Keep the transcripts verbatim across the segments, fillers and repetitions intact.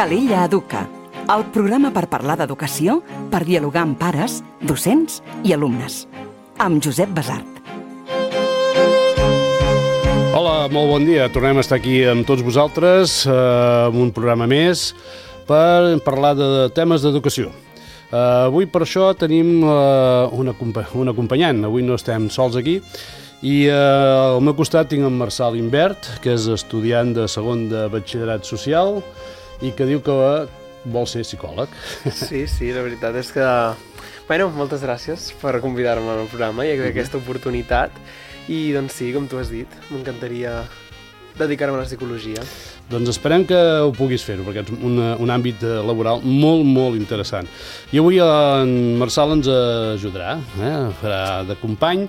Calella Educa, el programa per parlar d'educació, per dialogar amb pares, docents i alumnes. Amb Josep Basart. Hola, molt bon dia. Tornem a estar aquí amb tots vosaltres, eh, amb un programa més, per parlar de temes d'educació. Uh, avui per això tenim uh, una, un acompanyant. Avui no estem sols aquí. I uh, al meu costat tinc en Marçal Imbert, que és estudiant de segon de batxillerat social i que diu que vol ser psicòleg. Sí, sí, la veritat és que... Bueno, moltes gràcies per convidar-me al programa i aquesta oportunitat. I doncs sí, com tu has dit, m'encantaria dedicar-me a la psicologia. Doncs esperem que ho puguis fer-ho, perquè és un, un àmbit laboral molt, molt interessant. I avui en Marçal ens ajudarà, eh? Farà de company,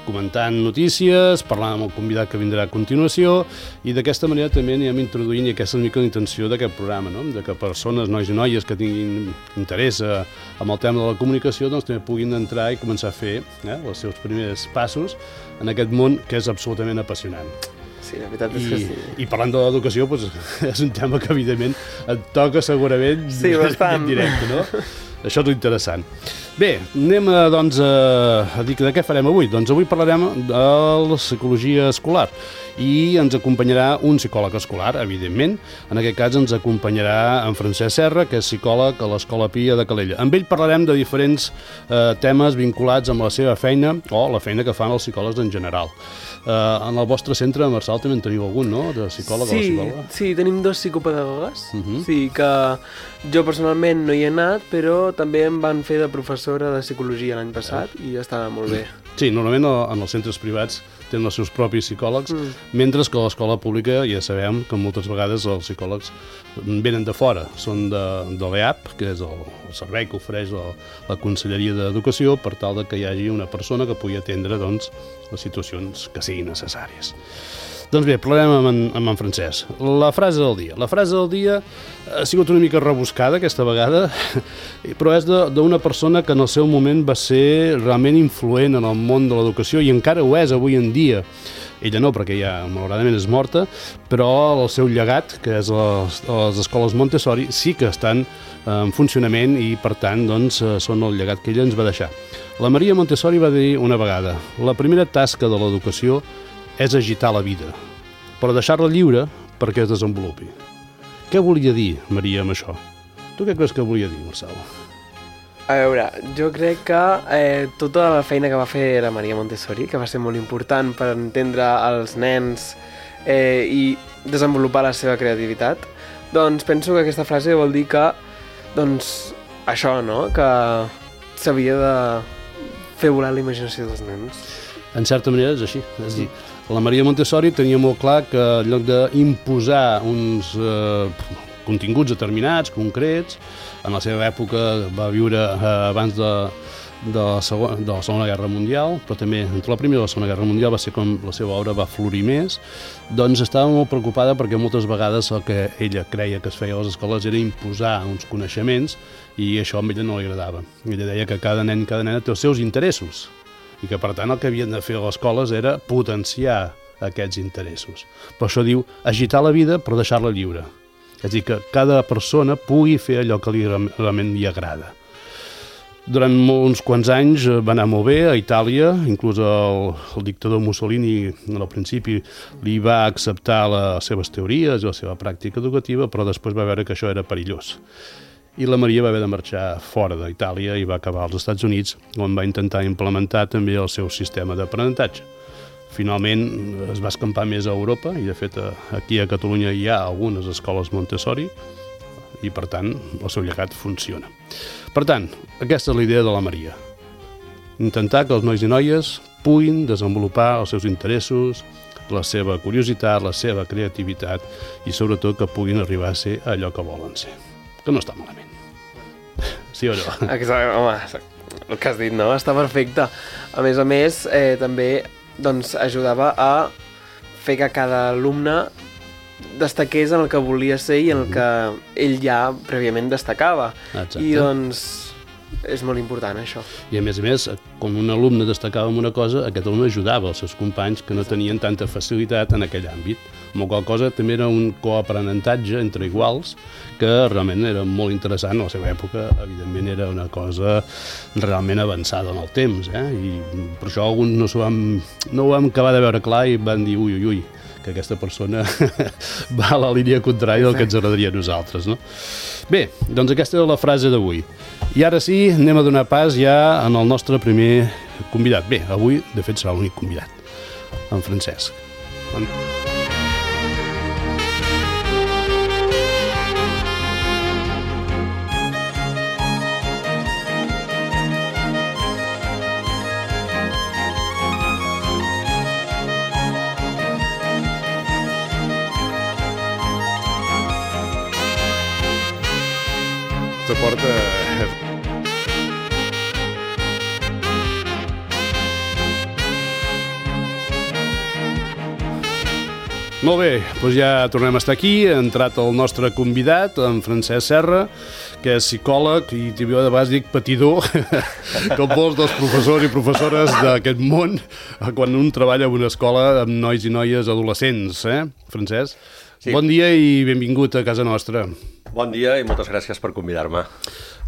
comentant notícies, parlant amb el convidat que vindrà a continuació, i d'aquesta manera també anirem introduint, i aquesta és una mica la intenció d'aquest programa, no? De que persones, nois i noies que tinguin interès en el tema de la comunicació, doncs també puguin entrar i començar a fer eh, els seus primers passos en aquest món que és absolutament apassionant. Sí, la veritat és I, que sí. I parlant de l'educació, doncs, és un tema que evidentment et toca segurament sí, bastant. En directe, no? Això és interessant. Bé, anem a, doncs, a, a dir de què farem avui. Doncs avui parlarem de la psicologia escolar i ens acompanyarà un psicòleg escolar, evidentment. En aquest cas ens acompanyarà en Francesc Serra, que és psicòleg a l'Escola Pia de Calella. Amb ell parlarem de diferents eh, temes vinculats amb la seva feina o la feina que fan els psicòlegs en general. Uh, en el vostre centre, Marçal, també en teniu algun, no?, de psicòleg sí, o psicòloga? Sí, tenim dos psicopedagogues, uh -huh. sí, que jo personalment no hi he anat, però també em van fer de professora de psicologia l'any passat uh. i estava molt bé. Sí, normalment en els centres privats tenen els seus propis psicòlegs, mm. mentre que a l'escola pública ja sabem que moltes vegades els psicòlegs venen de fora, són de, de l'E A P, que és el, el servei que ofereix la, la Conselleria d'Educació, per tal de que hi hagi una persona que pugui atendre doncs, les situacions que siguin necessàries. Doncs bé, parlarem amb en, amb en Francesc. La frase del dia. La frase del dia ha sigut una mica rebuscada aquesta vegada, però és d'una persona que en el seu moment va ser realment influent en el món de l'educació i encara ho és avui en dia. Ella no, perquè ja malauradament és morta, però el seu llegat, que és les, les escoles Montessori, sí que estan en funcionament i, per tant, doncs, són el llegat que ella ens va deixar. La Maria Montessori va dir una vegada: la primera tasca de l'educació és agitar la vida, però deixar-la lliure perquè es desenvolupi. Què volia dir Maria amb això? Tu què creus que volia dir, Marçal? A veure, jo crec que eh, tota la feina que va fer la Maria Montessori, que va ser molt important per entendre els nens eh, i desenvolupar la seva creativitat, doncs penso que aquesta frase vol dir que, doncs, això, no?, que s'havia de fer volar la imaginació dels nens. En certa manera és així, és dir, la Maria Montessori tenia molt clar que en lloc d'imposar uns eh, continguts determinats, concrets, en la seva època va viure eh, abans de, de, la segona, de la Segona Guerra Mundial, però també entre la Primera i la Segona Guerra Mundial va ser com la seva obra va florir més, doncs estava molt preocupada perquè moltes vegades el que ella creia que es feia a les escoles era imposar uns coneixements i això a ella no li agradava. Ella deia que cada nen i cada nena té els seus interessos i que, per tant, el que havien de fer a les escoles era potenciar aquests interessos. Per això diu agitar la vida però deixar-la lliure. És a dir, que cada persona pugui fer allò que li realment li agrada. Durant uns quants anys va anar molt bé a Itàlia, inclús el, el dictador Mussolini al principi li va acceptar les seves teories i la seva pràctica educativa, però després va veure que això era perillós. I la Maria va haver de marxar fora d'Itàlia i va acabar als Estats Units, on va intentar implementar també el seu sistema d'aprenentatge. Finalment es va escampar més a Europa i, de fet, aquí a Catalunya hi ha algunes escoles Montessori i, per tant, el seu llegat funciona. Per tant, aquesta és la idea de la Maria. Intentar que els nois i noies puguin desenvolupar els seus interessos, la seva curiositat, la seva creativitat i, sobretot, que puguin arribar a ser allò que volen ser. Que no està malament. Sí o no? Exacte, home, el que has dit, no? Està perfecte. A més a més, eh, també doncs, ajudava a fer que cada alumne destaqués en el que volia ser i en el que ell ja prèviament destacava. Exacte. I doncs és molt important això. I a més a més, quan un alumne destacava en una cosa, aquest alumne ajudava els seus companys que no tenien tanta facilitat en aquell àmbit. amb la qual cosa també era un coaprenentatge entre iguals que realment era molt interessant. A la seva època, evidentment, era una cosa realment avançada en el temps, eh? I per això alguns no, vam, no ho vam acabar de veure clar i van dir ui, ui, ui, que aquesta persona va a la línia contrària del que ens agradaria a nosaltres, no? Bé, doncs aquesta era la frase d'avui. I ara sí, anem a donar pas ja en el nostre primer convidat. Bé, avui, de fet, serà l'únic convidat, en Francesc. En... Se porta... Molt bé, doncs ja tornem a estar aquí. Ha entrat el nostre convidat, en Francesc Serra, que és psicòleg i jo de vegades dic patidor, com molts dels professors i professores d'aquest món, quan un treballa en una escola amb nois i noies adolescents, eh, Francesc? Sí. Bon dia i benvingut a casa nostra. Bon dia i moltes gràcies per convidar-me.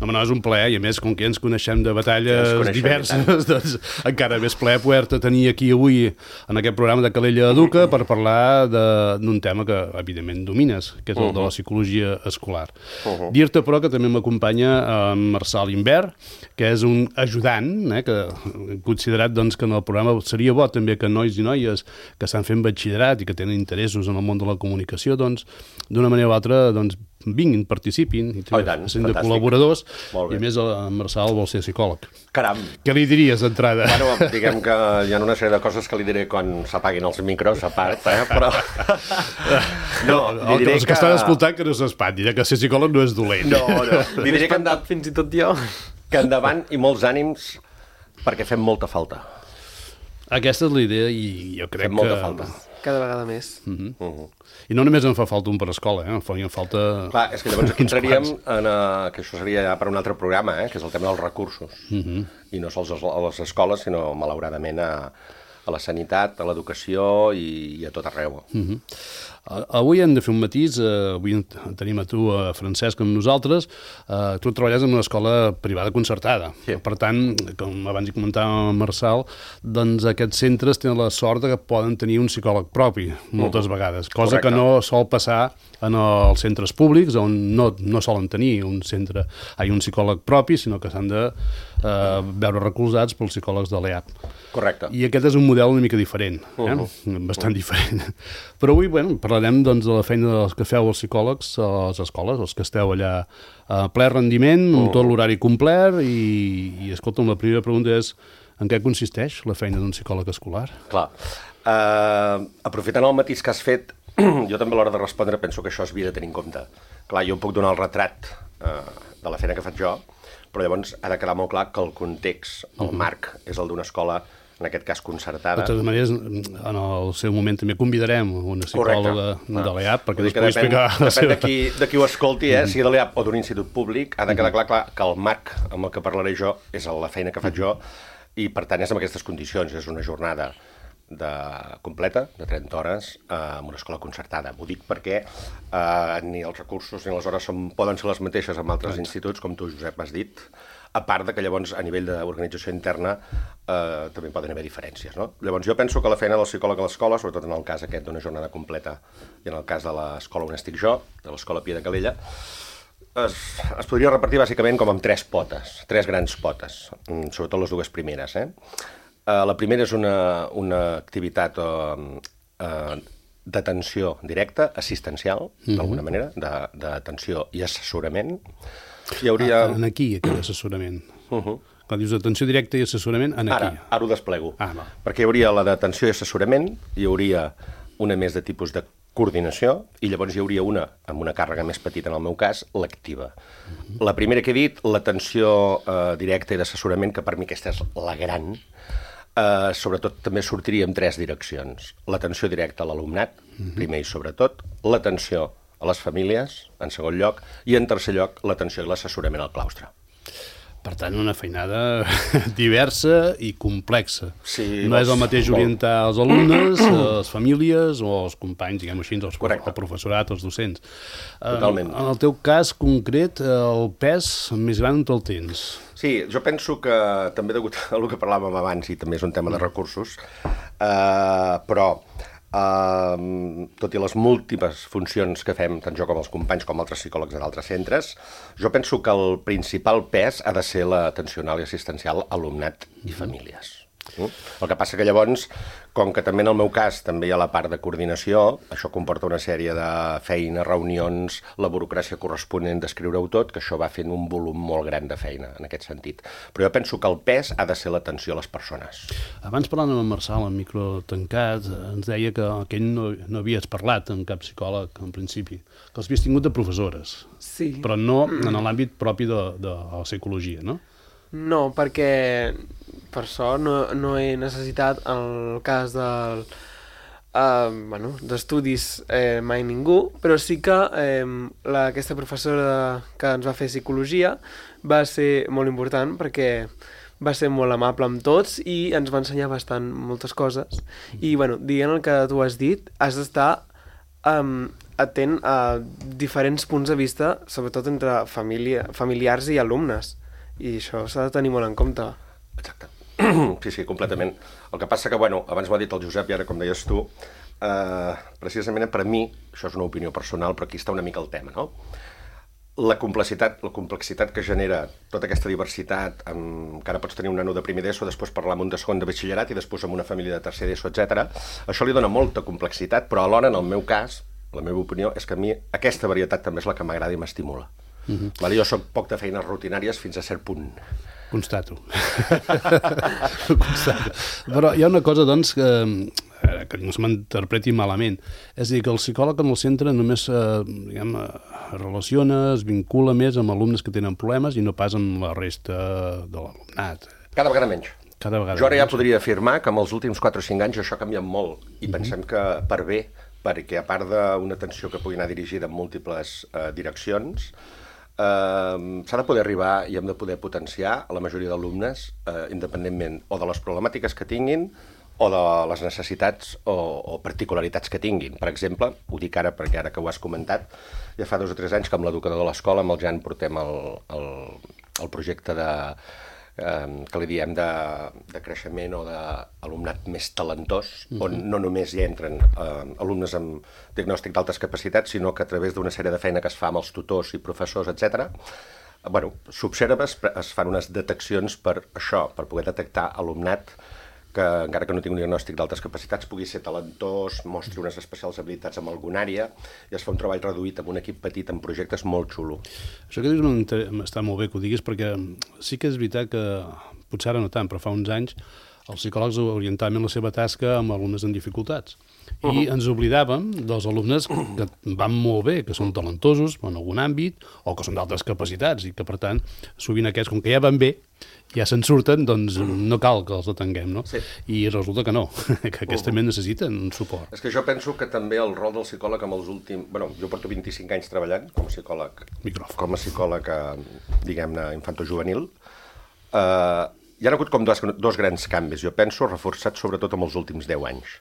No, no, és un plaer, i a més, com que ens coneixem de batalles coneixem diverses, doncs encara més plaer poder-te tenir aquí avui en aquest programa de Calella Educa per parlar d'un tema que, evidentment, domines, que és el uh -huh. de la psicologia escolar. Uh -huh. Dir-te, però, que també m'acompanya en Marçal Imbert, que és un ajudant, eh, que he considerat doncs, que en el programa seria bo també que nois i noies que estan fent batxillerat i que tenen interessos en el món de la comunicació, doncs, d'una manera o altra, doncs, vinguin, participin, i oh, i tant, sent de col·laboradors, i a més el Marçal vol ser psicòleg. Caram! Què li diries d'entrada? Bueno, diguem que hi ha una sèrie de coses que li diré quan s'apaguin els micros, a part, eh? Però... no, li diré els que... que estan escoltant que no s'espantin, que ser psicòleg no és dolent. No, no. Li diré que, endavant, fins i tot jo. Que endavant i molts ànims, perquè fem molta falta. Aquesta és la idea i jo crec fem molta que... falta. Cada vegada més. Uh -huh. Uh -huh. I no només en fa falta un per escola, eh? En falta... Clar, és que llavors aquí entraríem en... Uh, que això seria ja per un altre programa, eh? Que és el tema dels recursos. Uh -huh. I no sols a les escoles, sinó, malauradament, a, a la sanitat, a l'educació i, i a tot arreu. Uh -huh. Uh, avui hem de fer un matís, uh, avui tenim a tu, uh, Francesc, amb nosaltres. Uh, tu treballes en una escola privada concertada. Sí. Per tant, com abans hi comentàvem amb Marçal, doncs aquests centres tenen la sort que poden tenir un psicòleg propi, moltes uh -huh. vegades, cosa Correcte. Que no sol passar en els centres públics, on no, no solen tenir un centre, ai, un psicòleg propi, sinó que s'han de uh, veure recolzats pels psicòlegs de l'E A P. Correcte. I aquest és un model una mica diferent, eh? uh -huh. bastant uh -huh. diferent. Però avui, bueno, parlarem doncs, de la feina dels que feu els psicòlegs a les escoles, els que esteu allà a ple rendiment, amb tot l'horari complet, i, i escolta'm, la primera pregunta és en què consisteix la feina d'un psicòleg escolar? Clar. Uh, aprofitant el matís que has fet, jo també a l'hora de respondre penso que això s'havia de tenir en compte. Clar, jo puc donar el retrat uh, de la feina que faig jo, però llavors ha de quedar molt clar que el context, el uh -huh. marc, és el d'una escola, en aquest cas concertada. De totes maneres, en el seu moment també convidarem una psicòloga Correcte. de l'E A P, perquè després pugui explicar... Depèn, depèn de, qui, de qui ho escolti, eh? sigui de l'E A P o d'un institut públic, ha de quedar clar, clar que el marc amb el que parlaré jo és la feina que faig jo, i per tant és en aquestes condicions, és una jornada de completa, de trenta hores, eh, en una escola concertada. Ho dic perquè eh, ni els recursos ni les hores són, poden ser les mateixes amb altres instituts, com tu, Josep, has dit, a part de que llavors a nivell d'organització interna eh, també poden haver diferències, no? Llavors jo penso que la feina del psicòleg a l'escola, sobretot en el cas aquest d'una jornada completa i en el cas de l'escola on estic jo, de l'escola Pia de Calella, es, es podria repartir bàsicament com amb tres potes, tres grans potes, sobretot les dues primeres, eh? Uh, la primera és una, una activitat uh, uh, d'atenció directa, assistencial, uh-huh. d'alguna manera, d'atenció i assessorament. Hi hauria... Ah, en aquí, aquell assessorament. Uh-huh. Quan dius atenció directa i assessorament, en aquí. Ara, ara ho desplego. Ah, no. Perquè hi hauria la d'atenció i assessorament, hi hauria una més de tipus de coordinació, i llavors hi hauria una, amb una càrrega més petita en el meu cas, l'activa. Uh-huh. La primera que he dit, l'atenció uh, directa i d'assessorament, que per mi aquesta és la gran... Uh, sobretot també sortiria en tres direccions. L'atenció directa a l'alumnat, uh-huh. primer i sobretot, l'atenció a les famílies, en segon lloc, i en tercer lloc, l'atenció i l'assessorament al claustre. Per tant, una feinada diversa i complexa. Sí, no és el mateix molt. orientar els alumnes, les famílies o els companys, diguem així, els, Correcte. el professorat, els docents. Totalment. En el teu cas concret, el pes més gran on te'l tens? Sí, jo penso que també degut al que parlàvem abans, i també és un tema de recursos, eh, però Uh, tot i les múltiples funcions que fem, tant jo com els companys com altres psicòlegs d'altres centres, jo penso que el principal pes ha de ser l'atencional i assistencial alumnat i famílies. Mm? El que passa que llavors, com que també en el meu cas també hi ha la part de coordinació, això comporta una sèrie de feina, reunions, la burocràcia corresponent d'escriure-ho tot, que això va fent un volum molt gran de feina en aquest sentit. Però jo penso que el pes ha de ser l'atenció a les persones. Abans parlant amb en Marçal, en micro tancat, ens deia que aquell no, no havies parlat amb cap psicòleg en principi, que els havies tingut de professores, Sí. però no en l'àmbit propi de, de la psicologia, no? No, perquè per sort no, no he necessitat en el cas del, uh, bueno, d'estudis eh, mai ningú, però sí que eh, la, aquesta professora que ens va fer psicologia va ser molt important perquè va ser molt amable amb tots i ens va ensenyar bastant moltes coses. I, bueno, dient el que tu has dit, has d'estar um, atent a diferents punts de vista, sobretot entre família, familiars i alumnes. I això s'ha de tenir molt en compte. Exacte. Sí, sí, completament. El que passa que, bueno, abans m'ho ha dit el Josep i ara, com deies tu, eh, precisament per mi, això és una opinió personal, però aquí està una mica el tema, no? La complexitat, la complexitat que genera tota aquesta diversitat, amb, que ara pots tenir un nano de primer d'ESO, després parlar amb un de segon de batxillerat i després amb una família de tercer d'ESO, etcètera. Això li dona molta complexitat, però alhora, en el meu cas, la meva opinió és que a mi aquesta varietat també és la que m'agrada i m'estimula. Uh-huh. Vale, jo soc poc de feines rutinàries fins a cert punt. Constato. Constato. Però hi ha una cosa, doncs, que, que no se m'interpreti malament. És a dir, que el psicòleg en el centre només eh, diguem, relaciona, es vincula més amb alumnes que tenen problemes i no pas amb la resta de l'alumnat. Cada vegada menys. Cada vegada jo ara ja menys. podria afirmar que en els últims quatre o cinc anys això ha canviat molt i uh-huh. pensem que per bé, perquè a part d'una atenció que pugui anar dirigida en múltiples eh, direccions, Uh, s'ha de poder arribar i hem de poder potenciar a la majoria d'alumnes uh, independentment o de les problemàtiques que tinguin o de les necessitats o, o particularitats que tinguin. Per exemple, ho dic ara perquè ara que ho has comentat, ja fa dos o tres anys que amb l'educador de l'escola, amb el Jan, portem el, el, el projecte de, eh, que li diem de, de creixement o d'alumnat més talentós, mm-hmm. on no només hi entren eh, alumnes amb diagnòstic d'altes capacitats, sinó que a través d'una sèrie de feina que es fa amb els tutors i professors, etcètera, bueno, s'observa, es fan unes deteccions per això, per poder detectar alumnat que, encara que no tingui un diagnòstic d'altes capacitats, pugui ser talentós, mostri unes especials habilitats en alguna àrea, i es fa un treball reduït amb un equip petit, en projectes molt xulo. Això que dius està molt bé que ho diguis, perquè sí que és veritat que, potser ara no tant, però fa uns anys, els psicòlegs orientaven la seva tasca amb alumnes amb dificultats. I uh-huh. ens oblidàvem dels alumnes que van molt bé, que són talentosos en algun àmbit, o que són d'altres capacitats, i que, per tant, sovint aquests, com que ja van bé, ja se'n surten, doncs no cal que els atenguem, no? Sí. I resulta que no, que aquests uh-huh. també necessiten un suport. És que jo penso que també el rol del psicòleg amb els últims... Bueno, jo porto vint-i-cinc anys treballant com a psicòleg, Micròfon. com a psicòleg, diguem-ne, infantojuvenil. Uh, hi ha hagut com dos, dos grans canvis, jo penso, reforçats sobretot amb els últims deu anys.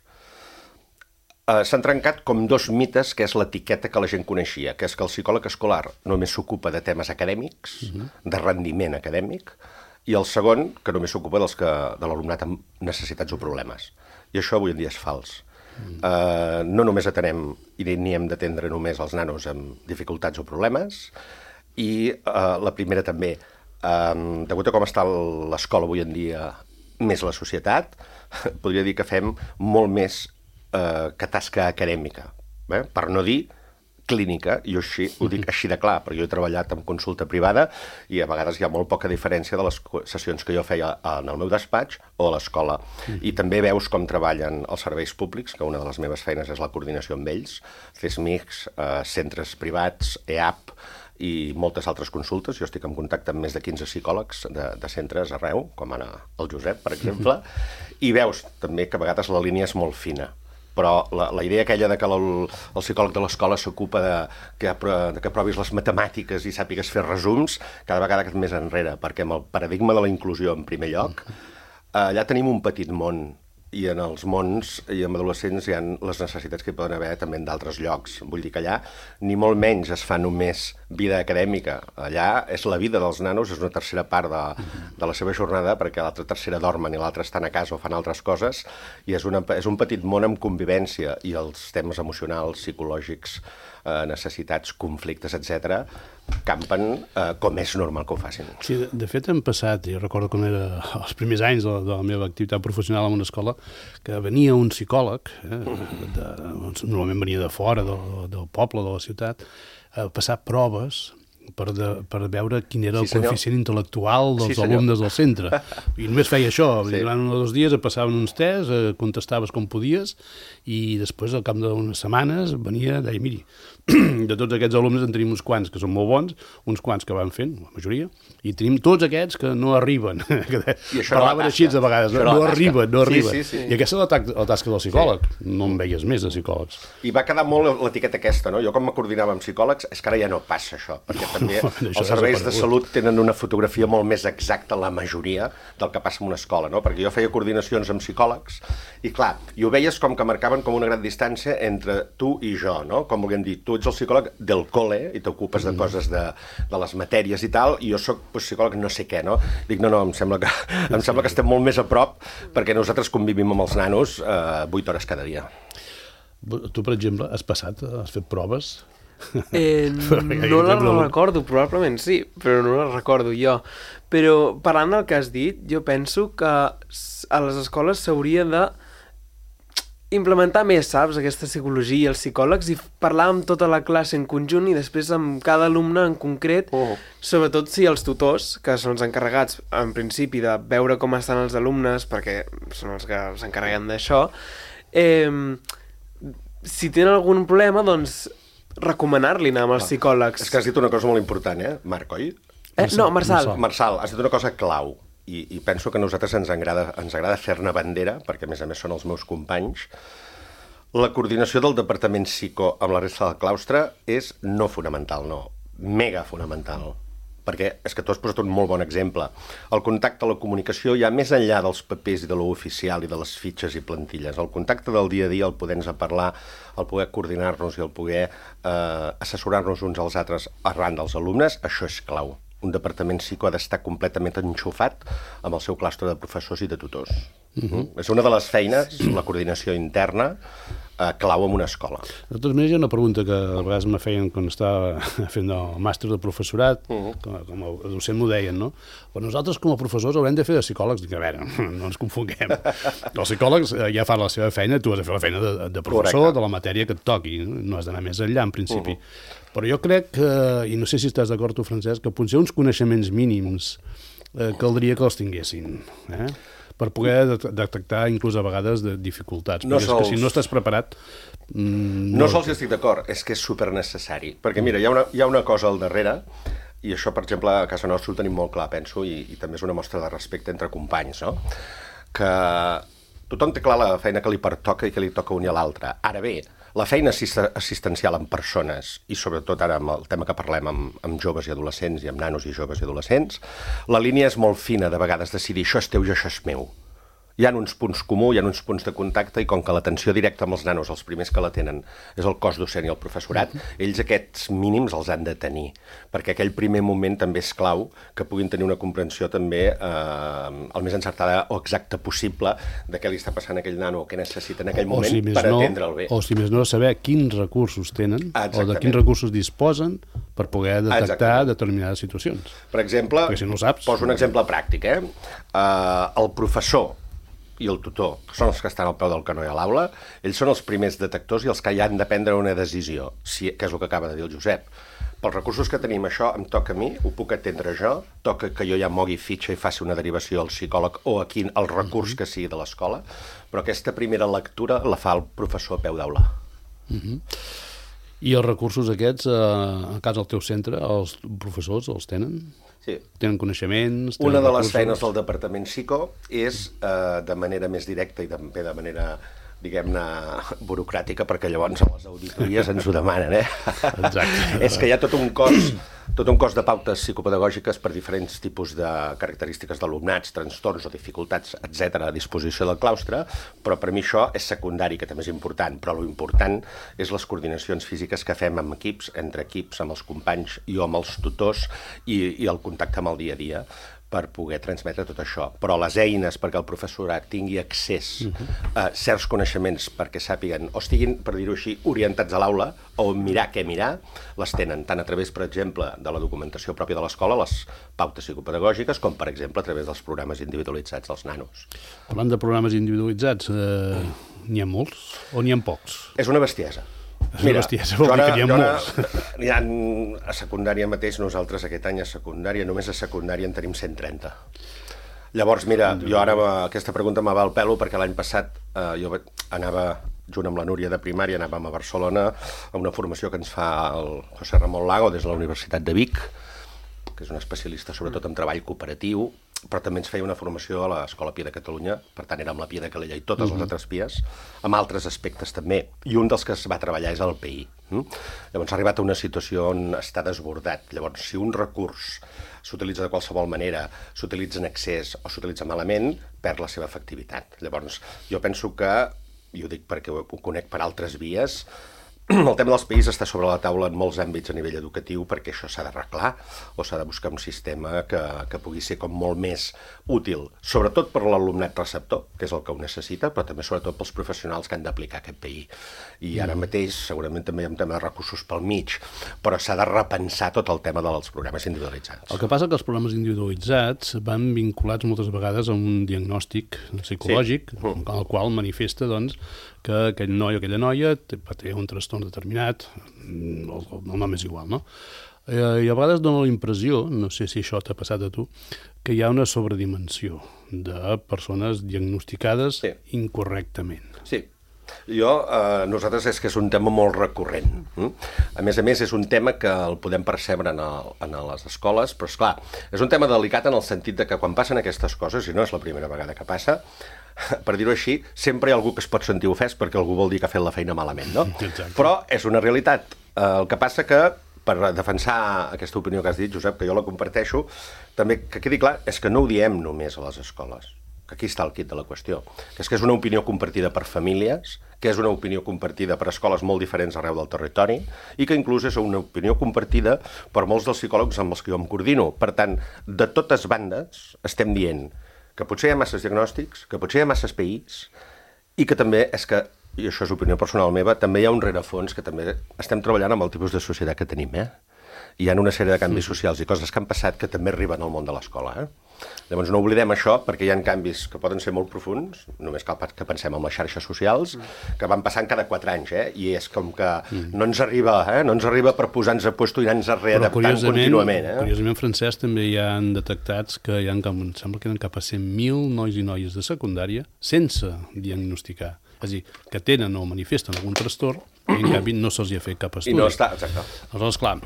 Uh, S'han trencat com dos mites, que és l'etiqueta que la gent coneixia, que és que el psicòleg escolar només s'ocupa de temes acadèmics, uh-huh. de rendiment acadèmic, i el segon, que només s'ocupa dels que, de l'alumnat amb necessitats o problemes. I això avui en dia és fals. Mm. Uh, no només atenem i ni hem d'atendre només els nanos amb dificultats o problemes, i uh, la primera també, um, degut a com està l'escola avui en dia, més la societat, podria dir que fem molt més uh, que tasca acadèmica, eh? Per no dir clínica, i jo així, ho dic així de clar, perquè jo he treballat en consulta privada i a vegades hi ha molt poca diferència de les sessions que jo feia en el meu despatx o a l'escola. Mm. I també veus com treballen els serveis públics, que una de les meves feines és la coordinació amb ells, C E S M I Cs, eh, centres privats, E A P i moltes altres consultes. Jo estic en contacte amb més de quinze psicòlegs de, de centres arreu, com ara el Josep, per exemple, i veus també que a vegades la línia és molt fina. però la, la idea aquella de que el, el psicòleg de l'escola s'ocupa de, que, de que provis les matemàtiques i sàpigues fer resums, cada vegada que més enrere, perquè amb el paradigma de la inclusió en primer lloc, allà tenim un petit món, i en els mons i en adolescents hi ha les necessitats que hi poden haver també en d'altres llocs. Vull dir que allà ni molt menys es fa només vida acadèmica. Allà és la vida dels nanos, és una tercera part de, de la seva jornada, perquè l'altra tercera dormen i l'altra estan a casa o fan altres coses, i és, una, és un petit món amb convivència, i els temes emocionals, psicològics, eh, necessitats, conflictes, etcètera, campen eh, com és normal que ho facin. Sí, de, de fet hem passat, jo recordo quan era els primers anys de, de la meva activitat professional en una escola, que venia un psicòleg, eh, de, normalment venia de fora, del, del poble, de la ciutat, a passar proves per, de, per veure quin era el sí, coeficient intel·lectual dels sí, alumnes del centre. I només feia això. Sí. Durant un o dos dies et passaven uns tests, eh, contestaves com podies, i després, al cap d'unes setmanes, venia i deia, miri, de tots aquests alumnes en tenim uns quants que són molt bons, uns quants que van fent, la majoria, i tenim tots aquests que no arriben. Parlaven així de vegades, no, no arriben, no arriben. Sí, sí, sí. I aquesta és la, la tasca del psicòleg. Sí. No en veies més de psicòlegs. I va quedar molt l'etiqueta aquesta, no? Jo com me coordinava amb psicòlegs, és que ara ja no passa això, perquè també no, els serveis de salut tenen una fotografia molt més exacta, la majoria, del que passa en una escola, no? Perquè jo feia coordinacions amb psicòlegs, i clar, i ho veies com que marcaven com una gran distància entre tu i jo, no? Com volguem dir, tu ets el psicòleg del col·le i t'ocupes de coses de, de les matèries i tal, i jo soc pues, psicòleg no sé què, no? Dic, no, no, em sembla que, em sembla que estem molt més a prop perquè nosaltres convivim amb els nanos eh, vuit hores cada dia. Tu, per exemple, has passat, has fet proves? Eh, no les recordo, probablement sí, però no les recordo jo. Però parlant del que has dit, jo penso que a les escoles s'hauria de implementar més, saps, aquesta psicologia, els psicòlegs, i parlar amb tota la classe en conjunt i després amb cada alumne en concret, oh. sobretot si els tutors, que són els encarregats, en principi, de veure com estan els alumnes, perquè són els que s'encarreguen d'això, eh, si tenen algun problema, doncs recomanar-li anar amb els psicòlegs. És que has dit una cosa molt important, eh, Marc, oi? Eh, no, Marçal. Marçal, has dit una cosa clau. I, i penso que a nosaltres ens agrada, ens agrada fer-ne bandera, perquè a més a més són els meus companys. La coordinació del departament psico amb la resta del claustre és no fonamental, no, mega fonamental. Perquè és que tu has posat un molt bon exemple. El contacte, la comunicació, ja més enllà dels papers i de l'oficial i de les fitxes i plantilles. El contacte del dia a dia, el poder-nos a parlar, el poder coordinar-nos i el poder eh, assessorar-nos uns als altres arran dels alumnes, això és clau. Un departament psico ha d'estar completament enxufat amb el seu claustre de professors i de tutors. Uh-huh. És una de les feines, la coordinació interna, eh, clau en una escola. De totes maneres, hi ha una pregunta que a vegades me feien quan estava fent el màster de professorat, uh-huh. com, a, com a docent m'ho deien, no? Però nosaltres com a professors haurem de fer de psicòlegs. Dic, a veure, no ens confonguem. Els psicòlegs ja fan la seva feina, tu has de fer la feina de, de professor, correcte, de la matèria que et toqui. No has d'anar més enllà, en principi. Uh-huh. Però jo crec que, i no sé si estàs d'acord tu, Francesc, que potser uns coneixements mínims eh, caldria que els tinguessin, eh? Per poder detectar inclús a vegades de dificultats. No perquè sols... és que si no estàs preparat... Mm, no, no sols estic d'acord, és que és supernecessari. Perquè mira, hi ha, una, hi ha una cosa al darrere, i això, per exemple, a casa nostra ho tenim molt clar, penso, i, i també és una mostra de respecte entre companys, no? Que tothom té clar la feina que li pertoca i que li toca unir a l'altre. Ara bé, la feina assistencial amb persones, i sobretot ara amb el tema que parlem amb, amb joves i adolescents, i amb nanos i joves i adolescents, la línia és molt fina de vegades decidir això és teu i això és meu. Hi ha uns punts comuns, hi ha uns punts de contacte, i com que l'atenció directa amb els nanos, els primers que la tenen, és el cos docent i el professorat, ells aquests mínims els han de tenir, perquè aquell primer moment també és clau que puguin tenir una comprensió també eh, el més encertada o exacta possible de què li està passant a aquell nano o què necessita en aquell moment si per no, atendre'l bé. O si més no, saber quins recursos tenen Exactament. O de quins recursos disposen per poder detectar Exactament. Determinades situacions. Per exemple, si no saps, poso un exemple pràctic, eh? Uh, el professor i el tutor, que són els que estan al peu del canó i a l'aula, ells són els primers detectors i els que ja han de prendre una decisió, si, que és el que acaba de dir el Josep. Pels recursos que tenim, això em toca a mi, ho puc atendre jo, toca que jo ja mogui fitxa i faci una derivació al psicòleg o a quin, el recurs que sigui de l'escola, però aquesta primera lectura la fa el professor a peu d'aula. Uh-huh. I els recursos aquests, eh, a casa al teu centre, els professors els tenen? Sí. Tenen coneixements? Tenen Una de recursos? Les feines del departament psico és, eh, de manera més directa i també de manera diguem-ne, burocràtica, perquè llavors a les auditories ens ho demanen, eh? Exacte. És que hi ha tot un cos, tot un cos de pautes psicopedagògiques per diferents tipus de característiques d'alumnats, trastorns o dificultats, etcètera, a disposició del claustre, però per mi això és secundari, que també és important, però lo important és les coordinacions físiques que fem amb equips, entre equips, amb els companys i amb els tutors i, i el contacte amb el dia a dia, per poder transmetre tot això. Però les eines perquè el professorat tingui accés a certs coneixements perquè sàpiguen o estiguin, per dir-ho així, orientats a l'aula o mirar què mirar, les tenen tant a través, per exemple, de la documentació pròpia de l'escola, les pautes psicopedagògiques, com, per exemple, a través dels programes individualitzats dels nanos. Parlant de programes individualitzats, eh, n'hi ha molts o n'hi ha pocs? És una bestiesa. És una bestiesa, vol dir que n'hi ha molts. Hi ha, a secundària mateix, nosaltres aquest any a secundària, només a secundària en tenim cent trenta. Llavors, mira, jo ara aquesta pregunta me va al pelo perquè l'any passat eh, jo anava, junt amb la Núria de primària, anàvem a Barcelona a una formació que ens fa el José Ramón Lago des de la Universitat de Vic, que és un especialista sobretot en treball cooperatiu, però també ens feia una formació a l'Escola Pia de Catalunya, per tant érem la Pia de Calella i totes uh -huh. les altres pies, amb altres aspectes també, i un dels que es va treballar és el P I. Mm? Llavors s'ha arribat a una situació on està desbordat. Llavors, si un recurs s'utilitza de qualsevol manera, s'utilitza en excés o s'utilitza malament, perd la seva efectivitat. Llavors, jo penso que, i ho dic perquè ho, ho conec per altres vies, el tema dels P Is està sobre la taula en molts àmbits a nivell educatiu perquè això s'ha d'arreglar o s'ha de buscar un sistema que, que pugui ser com molt més útil, sobretot per l'alumnat receptor, que és el que ho necessita, però també sobretot pels professionals que han d'aplicar aquest P I. I ara mateix segurament també hi ha un tema de recursos pel mig, però s'ha de repensar tot el tema dels programes individualitzats. El que passa que els programes individualitzats van vinculats moltes vegades a un diagnòstic psicològic, sí. en el qual manifesta doncs, que aquell noi o aquella noia té, té un trastorn determinat, el, el nom és igual, no? I a vegades dona la impressió, no sé si això t'ha passat a tu, que hi ha una sobredimensió de persones diagnosticades sí. incorrectament. Sí. Jo, eh, nosaltres és que és un tema molt recurrent. Mm? A més a més, és un tema que el podem percebre en, el, en les escoles, però, esclar, és un tema delicat en el sentit de que quan passen aquestes coses, i no és la primera vegada que passa, per dir-ho així, sempre hi ha algú que es pot sentir ofès perquè algú vol dir que ha fet la feina malament, no? Exacte. Però és una realitat. Eh, el que passa que, per defensar aquesta opinió que has dit, Josep, que jo la comparteixo, també que quedi clar, és que no ho diem només a les escoles. Que aquí està el quid de la qüestió. Que és que és una opinió compartida per famílies, que és una opinió compartida per escoles molt diferents arreu del territori i que inclús és una opinió compartida per molts dels psicòlegs amb els que jo em coordino. Per tant, de totes bandes estem dient que potser hi ha masses diagnòstics, que potser hi ha masses P Is i que també és que, i això és opinió personal meva, també hi ha un rerefons que també estem treballant amb el tipus de societat que tenim, eh? Hi ha una sèrie de canvis socials i coses que han passat que també arriben al món de l'escola, eh? Llavors no oblidem això perquè hi ha canvis que poden ser molt profuns, només cal que pensem en les xarxes socials, que van passant cada quatre anys, eh? I és com que no ens arriba, eh? No ens arriba per posar-nos a puesto i anar-nos readaptant contínuament, eh? Curiosament, Francesc, també hi han detectats que hi ha, em sembla que eren cap a cent mil nois i noies de secundària sense diagnosticar. És a dir, que tenen o manifesten algun trastorn i en canvi no se'ls hi ha fet cap estudi. I no està, exacte. Aleshores, clar,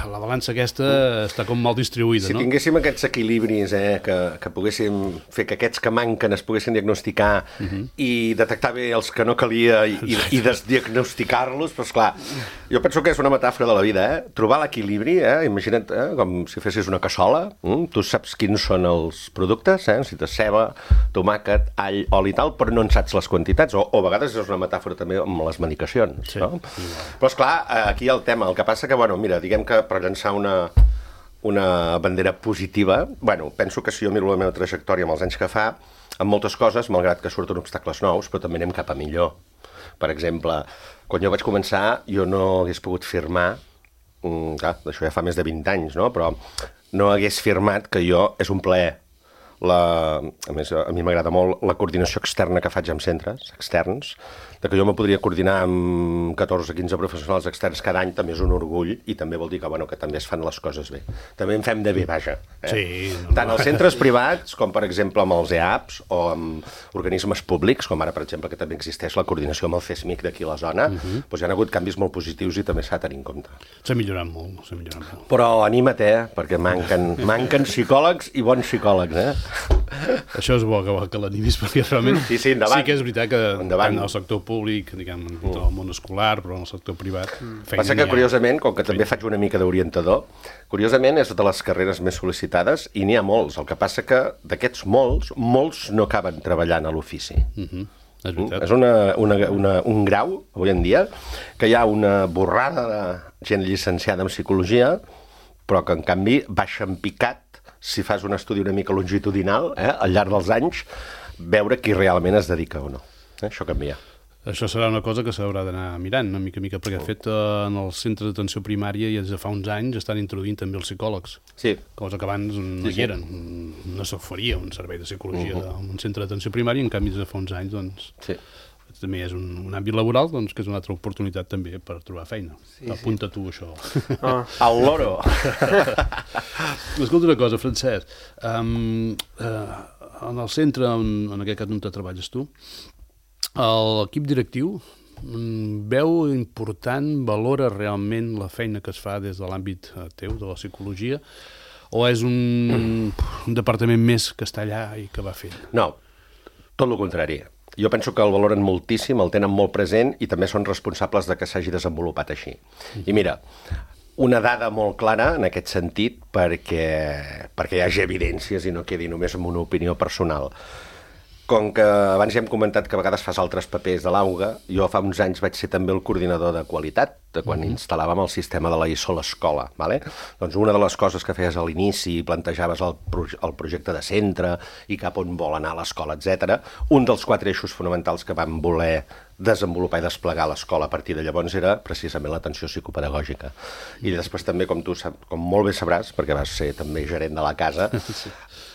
la balança aquesta està com mal distribuïda, si no? Si tinguéssim aquests equilibris, eh, que, que poguéssim fer que aquests que manquen es poguessin diagnosticar uh -huh. i detectar bé els que no calia i, i, i desdiagnosticar-los, doncs clar, jo penso que és una metàfora de la vida, eh? Trobar l'equilibri, eh? Imagina't, eh? com si fessis una cassola, mm? Tu saps quins són els productes, eh? Necessites ceba, tomàquet, all, oli i tal, però no en saps les quantitats, o, o a vegades és una metàfora també amb les medicacions. Sí. No? Però, esclar, aquí el tema, el que passa que, bueno, mira, diguem que per llançar una, una bandera positiva, bueno, penso que si jo miro la meva trajectòria amb els anys que fa, amb moltes coses, malgrat que surten obstacles nous, però també anem cap a millor. Per exemple, quan jo vaig començar, jo no hagués pogut firmar, mm, clar, això ja fa més de vint anys, no? Però no hagués firmat que jo, és un plaer, la, a més, a mi m'agrada molt la coordinació externa que faig amb centres externs, de que jo me podria coordinar amb catorze o quinze professionals externs cada any, també és un orgull i també vol dir que, bueno, que també es fan les coses bé. També en fem de bé, vaja. Eh? Sí, no, tant als centres privats, com per exemple amb els E A Ps o amb organismes públics, com ara, per exemple, que també existeix la coordinació amb el CESMIC d'aquí a la zona, uh -huh. doncs hi ha hagut canvis molt positius i també s'ha de tenir en compte. S'ha millorat molt, s'ha millorat molt. Però anima't, eh? Perquè manquen, manquen psicòlegs i bons psicòlegs, eh? Això és bo que, que l'animis, perquè realment sí, sí, endavant. sí que és veritat que endavant. tant en el sector públic, diguem, en el món escolar, però en el sector privat... Mm. Passa que, curiosament, com que també faig una mica d'orientador, curiosament és de les carreres més sol·licitades i n'hi ha molts. El que passa que d'aquests molts, molts no acaben treballant a l'ofici. Mm-hmm. És veritat. És una, una, una, un grau, avui en dia, que hi ha una borrada de gent llicenciada en psicologia, però que, en canvi, baixa en picat, si fas un estudi una mica longitudinal, eh, al llarg dels anys, veure qui realment es dedica o no. Eh, això canvia. Això serà una cosa que s'haurà d'anar mirant, una mica mica, perquè, de fet, en el centre d'atenció primària ja des de fa uns anys estan introduint també els psicòlegs, sí. cosa que abans no sí, hi eren. No s'oferia un servei de psicologia uh -huh. en un centre d'atenció primària, en canvi, des de fa uns anys, doncs, sí. també és un, un àmbit laboral, doncs, que és una altra oportunitat també per trobar feina. Sí, apunta sí. tu, això. Oh. El loro! Escolta una cosa, Francesc. Um, uh, en el centre, en, en aquest cas on te treballes tu, l'equip directiu veu important, valora realment la feina que es fa des de l'àmbit teu, de la psicologia, o és un, un departament més que està allà i que va fent? No, tot el contrari. Jo penso que el valoren moltíssim, el tenen molt present i també són responsables de que s'hagi desenvolupat així. I mira, una dada molt clara en aquest sentit perquè, perquè hi hagi evidències i no quedi només en una opinió personal. Com que abans ja hem comentat que a vegades fas altres papers de l'AUGA, jo fa uns anys vaig ser també el coordinador de qualitat, de quan mm-hmm. instal·làvem el sistema de la I S O a l'escola. Vale? Doncs una de les coses que feies a l'inici, plantejaves el, proje el projecte de centre i cap on vol anar l'escola, etcètera. Un dels quatre eixos fonamentals que vam voler desenvolupar i desplegar a l'escola a partir de llavors era precisament l'atenció psicopedagògica. I després també, com tu sap, com molt bé sabràs, perquè vas ser també gerent de la casa, sí.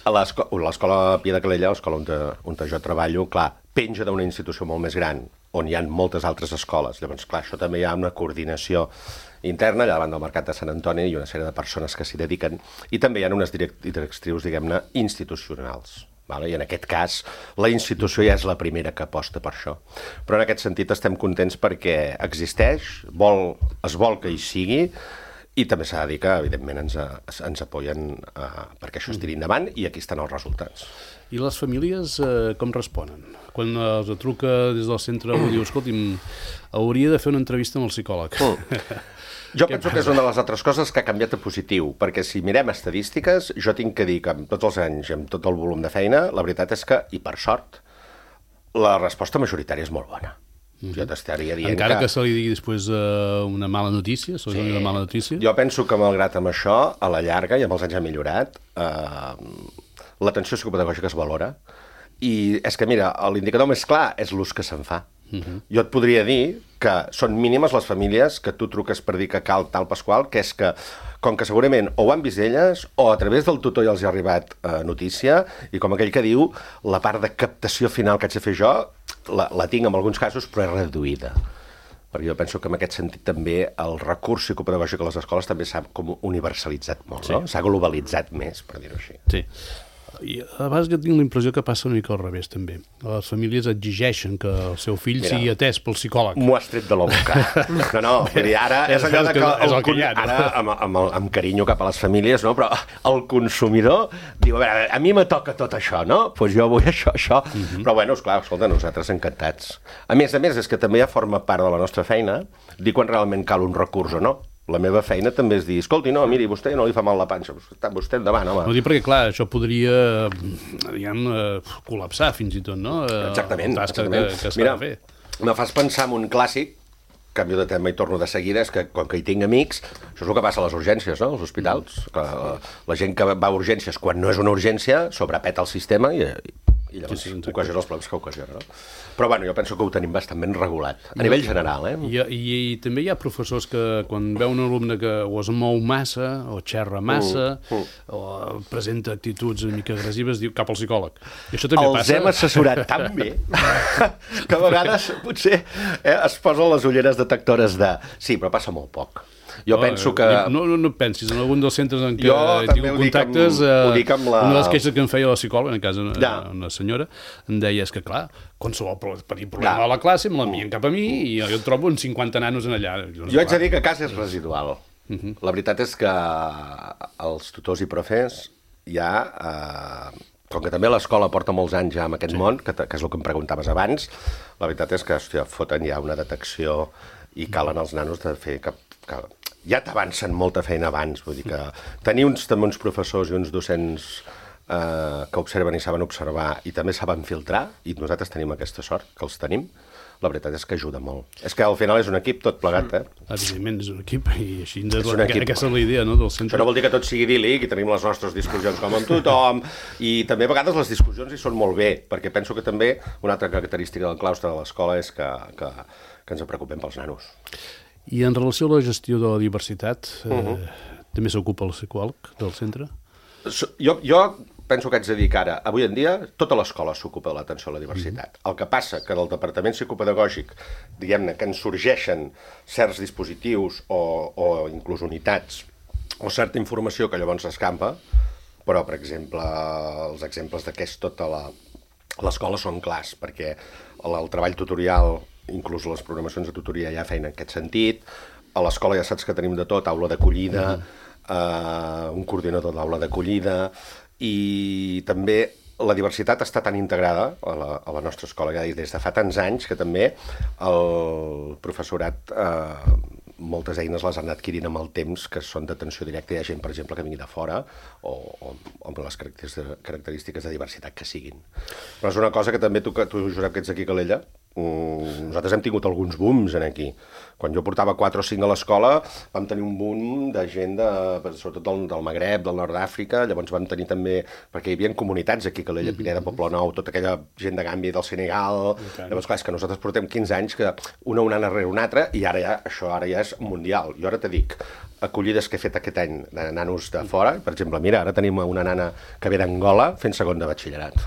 a l'escola Pia de Calella, l'escola on, on jo treballo, clar, penja d'una institució molt més gran, on hi ha moltes altres escoles. Llavors, clar, això també hi ha una coordinació interna, allà davant del Mercat de Sant Antoni, i una sèrie de persones que s'hi dediquen, i també hi ha unes directrius, diguem-ne, institucionals. Vale? I en aquest cas, la institució ja és la primera que aposta per això. Però en aquest sentit estem contents perquè existeix, vol, es vol que hi sigui, i també s'ha de dir que, evidentment, ens, ens apoyen uh, perquè això es tiri endavant, i aquí estan els resultats. I les famílies eh, com responen? Quan els truca des del centre i diu, escolti'm, hauria de fer una entrevista amb el psicòleg. Mm. Jo penso passa? que és una de les altres coses que ha canviat a positiu, perquè si mirem estadístiques, jo tinc que dir que amb tots els anys i amb tot el volum de feina, la veritat és que, i per sort, la resposta majoritària és molt bona. Mm-hmm. Jo t'estaria dient Encara que... que se li digui després uh, una mala notícia, se li sí. una mala notícia? Jo penso que, malgrat amb això, a la llarga, i amb els anys ha millorat, eh, l'atenció psicopedagògica es valora, i és que, mira, l'indicador més clar és l'ús que se'n fa. Uh-huh. Jo et podria dir que són mínimes les famílies que tu truques per dir que cal tal Pasqual, que és que, com que segurament o ho han vist elles, o a través del tutor ja els ha arribat eh, notícia, i com aquell que diu, la part de captació final que haig de fer jo, la, la tinc en alguns casos, però és reduïda. Perquè jo penso que en aquest sentit també el recurs psicopedagògic a les escoles també s'ha com universalitzat molt, sí. no? S'ha globalitzat més, per dir-ho així. Sí. I a vegades jo tinc la impressió que passa una mica al revés, també. Les famílies exigeixen que el seu fill Mira, sigui atès pel psicòleg. M'ho has tret de la boca. No, no, vull dir, ara és allò de que... El, el, el, ara, amb, amb, amb carinyo cap a les famílies, no? Però el consumidor diu, a veure, a mi me toca tot això, no? Doncs pues jo vull això, això. Uh -huh. Però, bueno, esclar, escolta, nosaltres encantats. A més a més, és que també ja forma part de la nostra feina dir quan realment cal un recurs o no. La meva feina també és dir, escolti, no, miri, vostè no li fa mal la panxa, vostè endavant, home. No dic perquè, clar, això podria, diguem, col·lapsar fins i tot, no? Exactament, exactament. Que, que Mira, fer. me fas pensar en un clàssic, canvio de tema i torno de seguida, és que com que hi tinc amics, això és el que passa a les urgències, no?, als hospitals. Mm. Que la, la gent que va a urgències, quan no és una urgència, sobrepeta el sistema i... i llavors sí, sí, ocasiona els problemes que ocasiona, no? Però, bueno, jo penso que ho tenim bastant ben regulat, a nivell general, eh? I, i, i també hi ha professors que, quan veu un alumne que o es mou massa, o xerra massa, mm, mm. o presenta actituds una mica agressives, diu cap al psicòleg. I això també Els passa. hem assessorat tan bé que a vegades, potser, eh, es posen les ulleres detectores de... Sí, però passa molt poc. Jo no, penso que... No, no, no pensis, en algun dels centres en què jo tinc contactes, amb, eh, la... una de les queixes que em feia la psicòloga, en cas una, ja. una senyora, em deia, és que clar, qualsevol petit problema ja. a la classe me l'envien cap a mi i jo, jo trobo uns cinquanta nanos en allà. Jo, jo haig de dir que a casa és residual. Uh -huh. La veritat és que els tutors i profes ja... Eh, com que també l'escola porta molts anys ja en aquest sí. món, que, que és el que em preguntaves abans, la veritat és que, hòstia, foten ja una detecció i calen els nanos de fer que, que ja t'avancen molta feina abans, vull dir que tenir uns, també uns professors i uns docents eh, que observen i saben observar i també saben filtrar, i nosaltres tenim aquesta sort, que els tenim, la veritat és que ajuda molt. És que al final és un equip tot plegat, eh? Evidentment, és un equip, i així és la, aquesta és la idea, no?, del centre. Això no vol dir que tot sigui idíl·lic, i tenim les nostres discussions com amb tothom, i també a vegades les discussions hi són molt bé, perquè penso que també una altra característica del claustre de l'escola és que, que, que ens preocupem pels nanos. I en relació a la gestió de la diversitat, eh, uh-huh. també s'ocupa el psicòleg del centre? Jo, jo penso que haig de dir que ara, avui en dia, tota l'escola s'ocupa de l'atenció a la diversitat. Mm-hmm. El que passa que del departament psicopedagògic, diguem-ne, que ens sorgeixen certs dispositius o, o inclús unitats o certa informació que llavors s'escampa, però, per exemple, els exemples de què és tota l'escola són clars, perquè el, el treball tutorial, inclús les programacions de tutoria ja feien en aquest sentit, a l'escola ja saps que tenim de tot, aula d'acollida, mm-hmm. eh, un coordinador d'aula d'acollida, i també la diversitat està tan integrada a la, a la nostra escola ja des de fa tants anys que també el professorat eh, moltes eines les han adquirint amb el temps que són d'atenció directa. Hi ha gent, per exemple, que vingui de fora o, o amb les característiques de diversitat que siguin. Però és una cosa que també tu, tu Josep, que ets aquí a Calella, nosaltres hem tingut alguns booms en aquí. Quan jo portava quatre o cinc a l'escola vam tenir un boom de gent de, sobretot del, del Magreb, del nord d'Àfrica, llavors vam tenir també, perquè hi havia comunitats aquí a Calella, Pineda, Poblenou, tota aquella gent de Gàmbia, del Senegal, okay. Llavors clar, és que nosaltres portem quinze anys que una una rere una altra i ara ja, això ara ja és mundial. Jo ara te dic, acollides que he fet aquest any de nanos de fora, per exemple, mira, ara tenim una nana que ve d'Angola fent segon de batxillerat.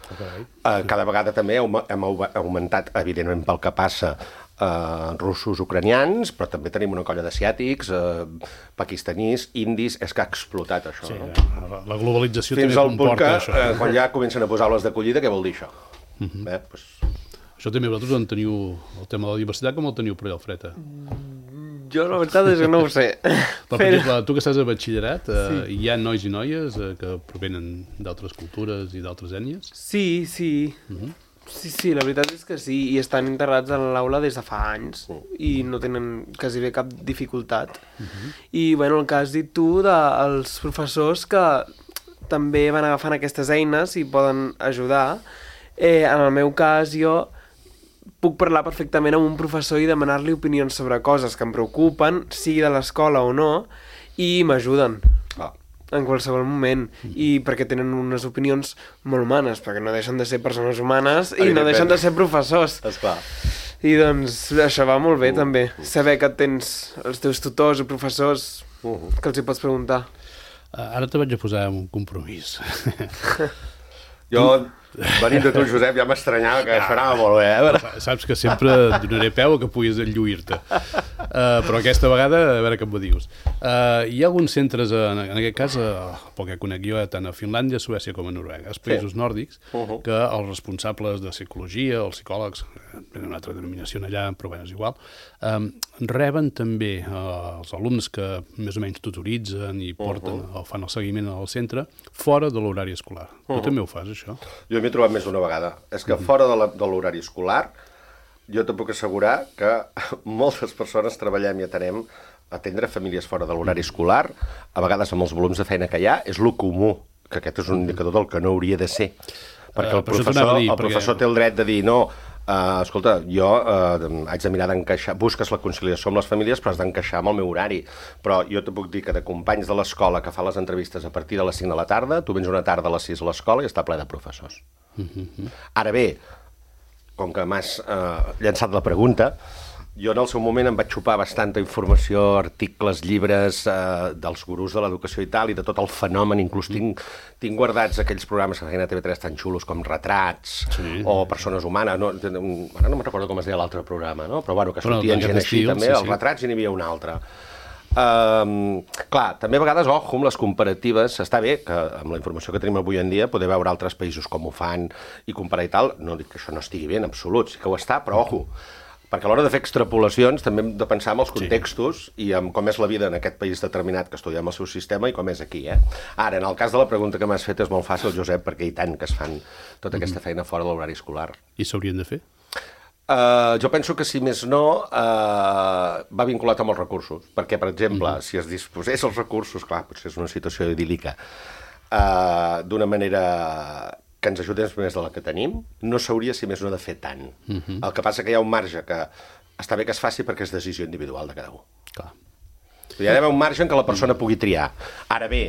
Okay. Uh, cada vegada també hem augmentat, evidentment, pel que passa uh, russos, ucranians, però també tenim una colla d'asiàtics, uh, pakistanís, indis, és que ha explotat això. Sí, no? La globalització fins també comporta que, això. Fins al punt que, uh, quan ja comencen a posar les d'acollida, què vol dir això? Uh-huh. eh, pues... Això també vosaltres en teniu, el tema de la diversitat, com el teniu per allà al Freta? Jo la veritat és que no ho sé. Però, per exemple, tu que estàs a batxillerat, eh, Sí. hi ha nois i noies eh, que provenen d'altres cultures i d'altres ètnies? Sí, sí. Uh-huh. Sí, sí, la veritat és que sí, i estan integrats en l'aula des de fa anys i no tenen quasi bé cap dificultat. Uh-huh. I, bueno, el que has dit tu dels professors que també van agafant aquestes eines i poden ajudar, eh, en el meu cas jo puc parlar perfectament amb un professor i demanar-li opinions sobre coses que em preocupen, sigui de l'escola o no, i m'ajuden. Ah. En qualsevol moment, i perquè tenen unes opinions molt humanes, perquè no deixen de ser persones humanes i no deixen de ser professors. Esclar. I doncs això va molt bé, uh, també. Uh. Saber que tens els teus tutors o professors uh -huh. que els hi pots preguntar. Uh, ara te vaig a posar un compromís. Jo, venint de tu, Josep, ja m'estranyava que això anava molt bé, eh? Saps que sempre donaré peu a que puguis enlluir-te. Uh, però aquesta vegada, a veure què em dius. Uh, hi ha alguns centres, en, en aquest cas, uh, pel que conec jo, tant a Finlàndia, Suècia com a Noruega, els països sí. nòrdics, uh -huh. que els responsables de psicologia, els psicòlegs, tenen una altra denominació allà, però bé, és igual, um, reben també uh, els alumnes que més o menys tutoritzen i porten, uh -huh. o fan el seguiment al centre, fora de l'horari escolar. Uh -huh. Tu també ho fas, això? Jo m'he trobat més d'una vegada. És que fora de l'horari escolar, jo te puc assegurar que moltes persones treballem i atenem atendre famílies fora de l'horari escolar, a vegades amb els volums de feina que hi ha, és lo comú, que aquest és un indicador del que no hauria de ser. Perquè el professor, el professor té el dret de dir, no, Uh, escolta, jo uh, haig de mirar d'encaixar, busques la conciliació amb les famílies, però has d'encaixar amb el meu horari. Però jo te puc dir que de companys de l'escola que fa les entrevistes a partir de les cinc de la tarda, tu vens una tarda a les sis a l'escola i està ple de professors. Uh-huh. Ara bé, com que m'has uh, llançat la pregunta, jo en el seu moment em vaig xupar bastanta informació, articles, llibres eh, dels gurús de l'educació i tal, i de tot el fenomen, inclús tinc, tinc guardats aquells programes que feien a T V tres tan xulos com Retrats, sí. o Persones Humanes, no, ara no me'n recordo com es deia l'altre programa, no? Però bueno, que sortien gent així estil, també, sí, els sí. Retrats i n'hi havia un altre. Um, clar, també a vegades, ojo, amb les comparatives, està bé que amb la informació que tenim avui en dia poder veure altres països com ho fan i comparar i tal, no dic que això no estigui bé en absolut, sí que ho està, però ojo, Perquè a l'hora de fer extrapolacions també hem de pensar en els contextos sí. i en com és la vida en aquest país determinat que estudiem el seu sistema i com és aquí, eh? Ara, en el cas de la pregunta que m'has fet és molt fàcil, Josep, perquè i tant que es fan tota mm-hmm. aquesta feina fora de l'horari escolar. I s'haurien de fer? Uh, jo penso que, si més no, uh, va vinculat amb els recursos. Perquè, per exemple, mm-hmm. si es disposés els recursos, clar, potser és una situació idíl·lica, uh, d'una manera que ens ajudés més de la que tenim, no s'hauria, si més no, de fer tant. Uh-huh. El que passa que hi ha un marge que està bé que es faci perquè és decisió individual de cada un. Clar. Hi ha d'haver un marge en què la persona pugui triar. Ara bé,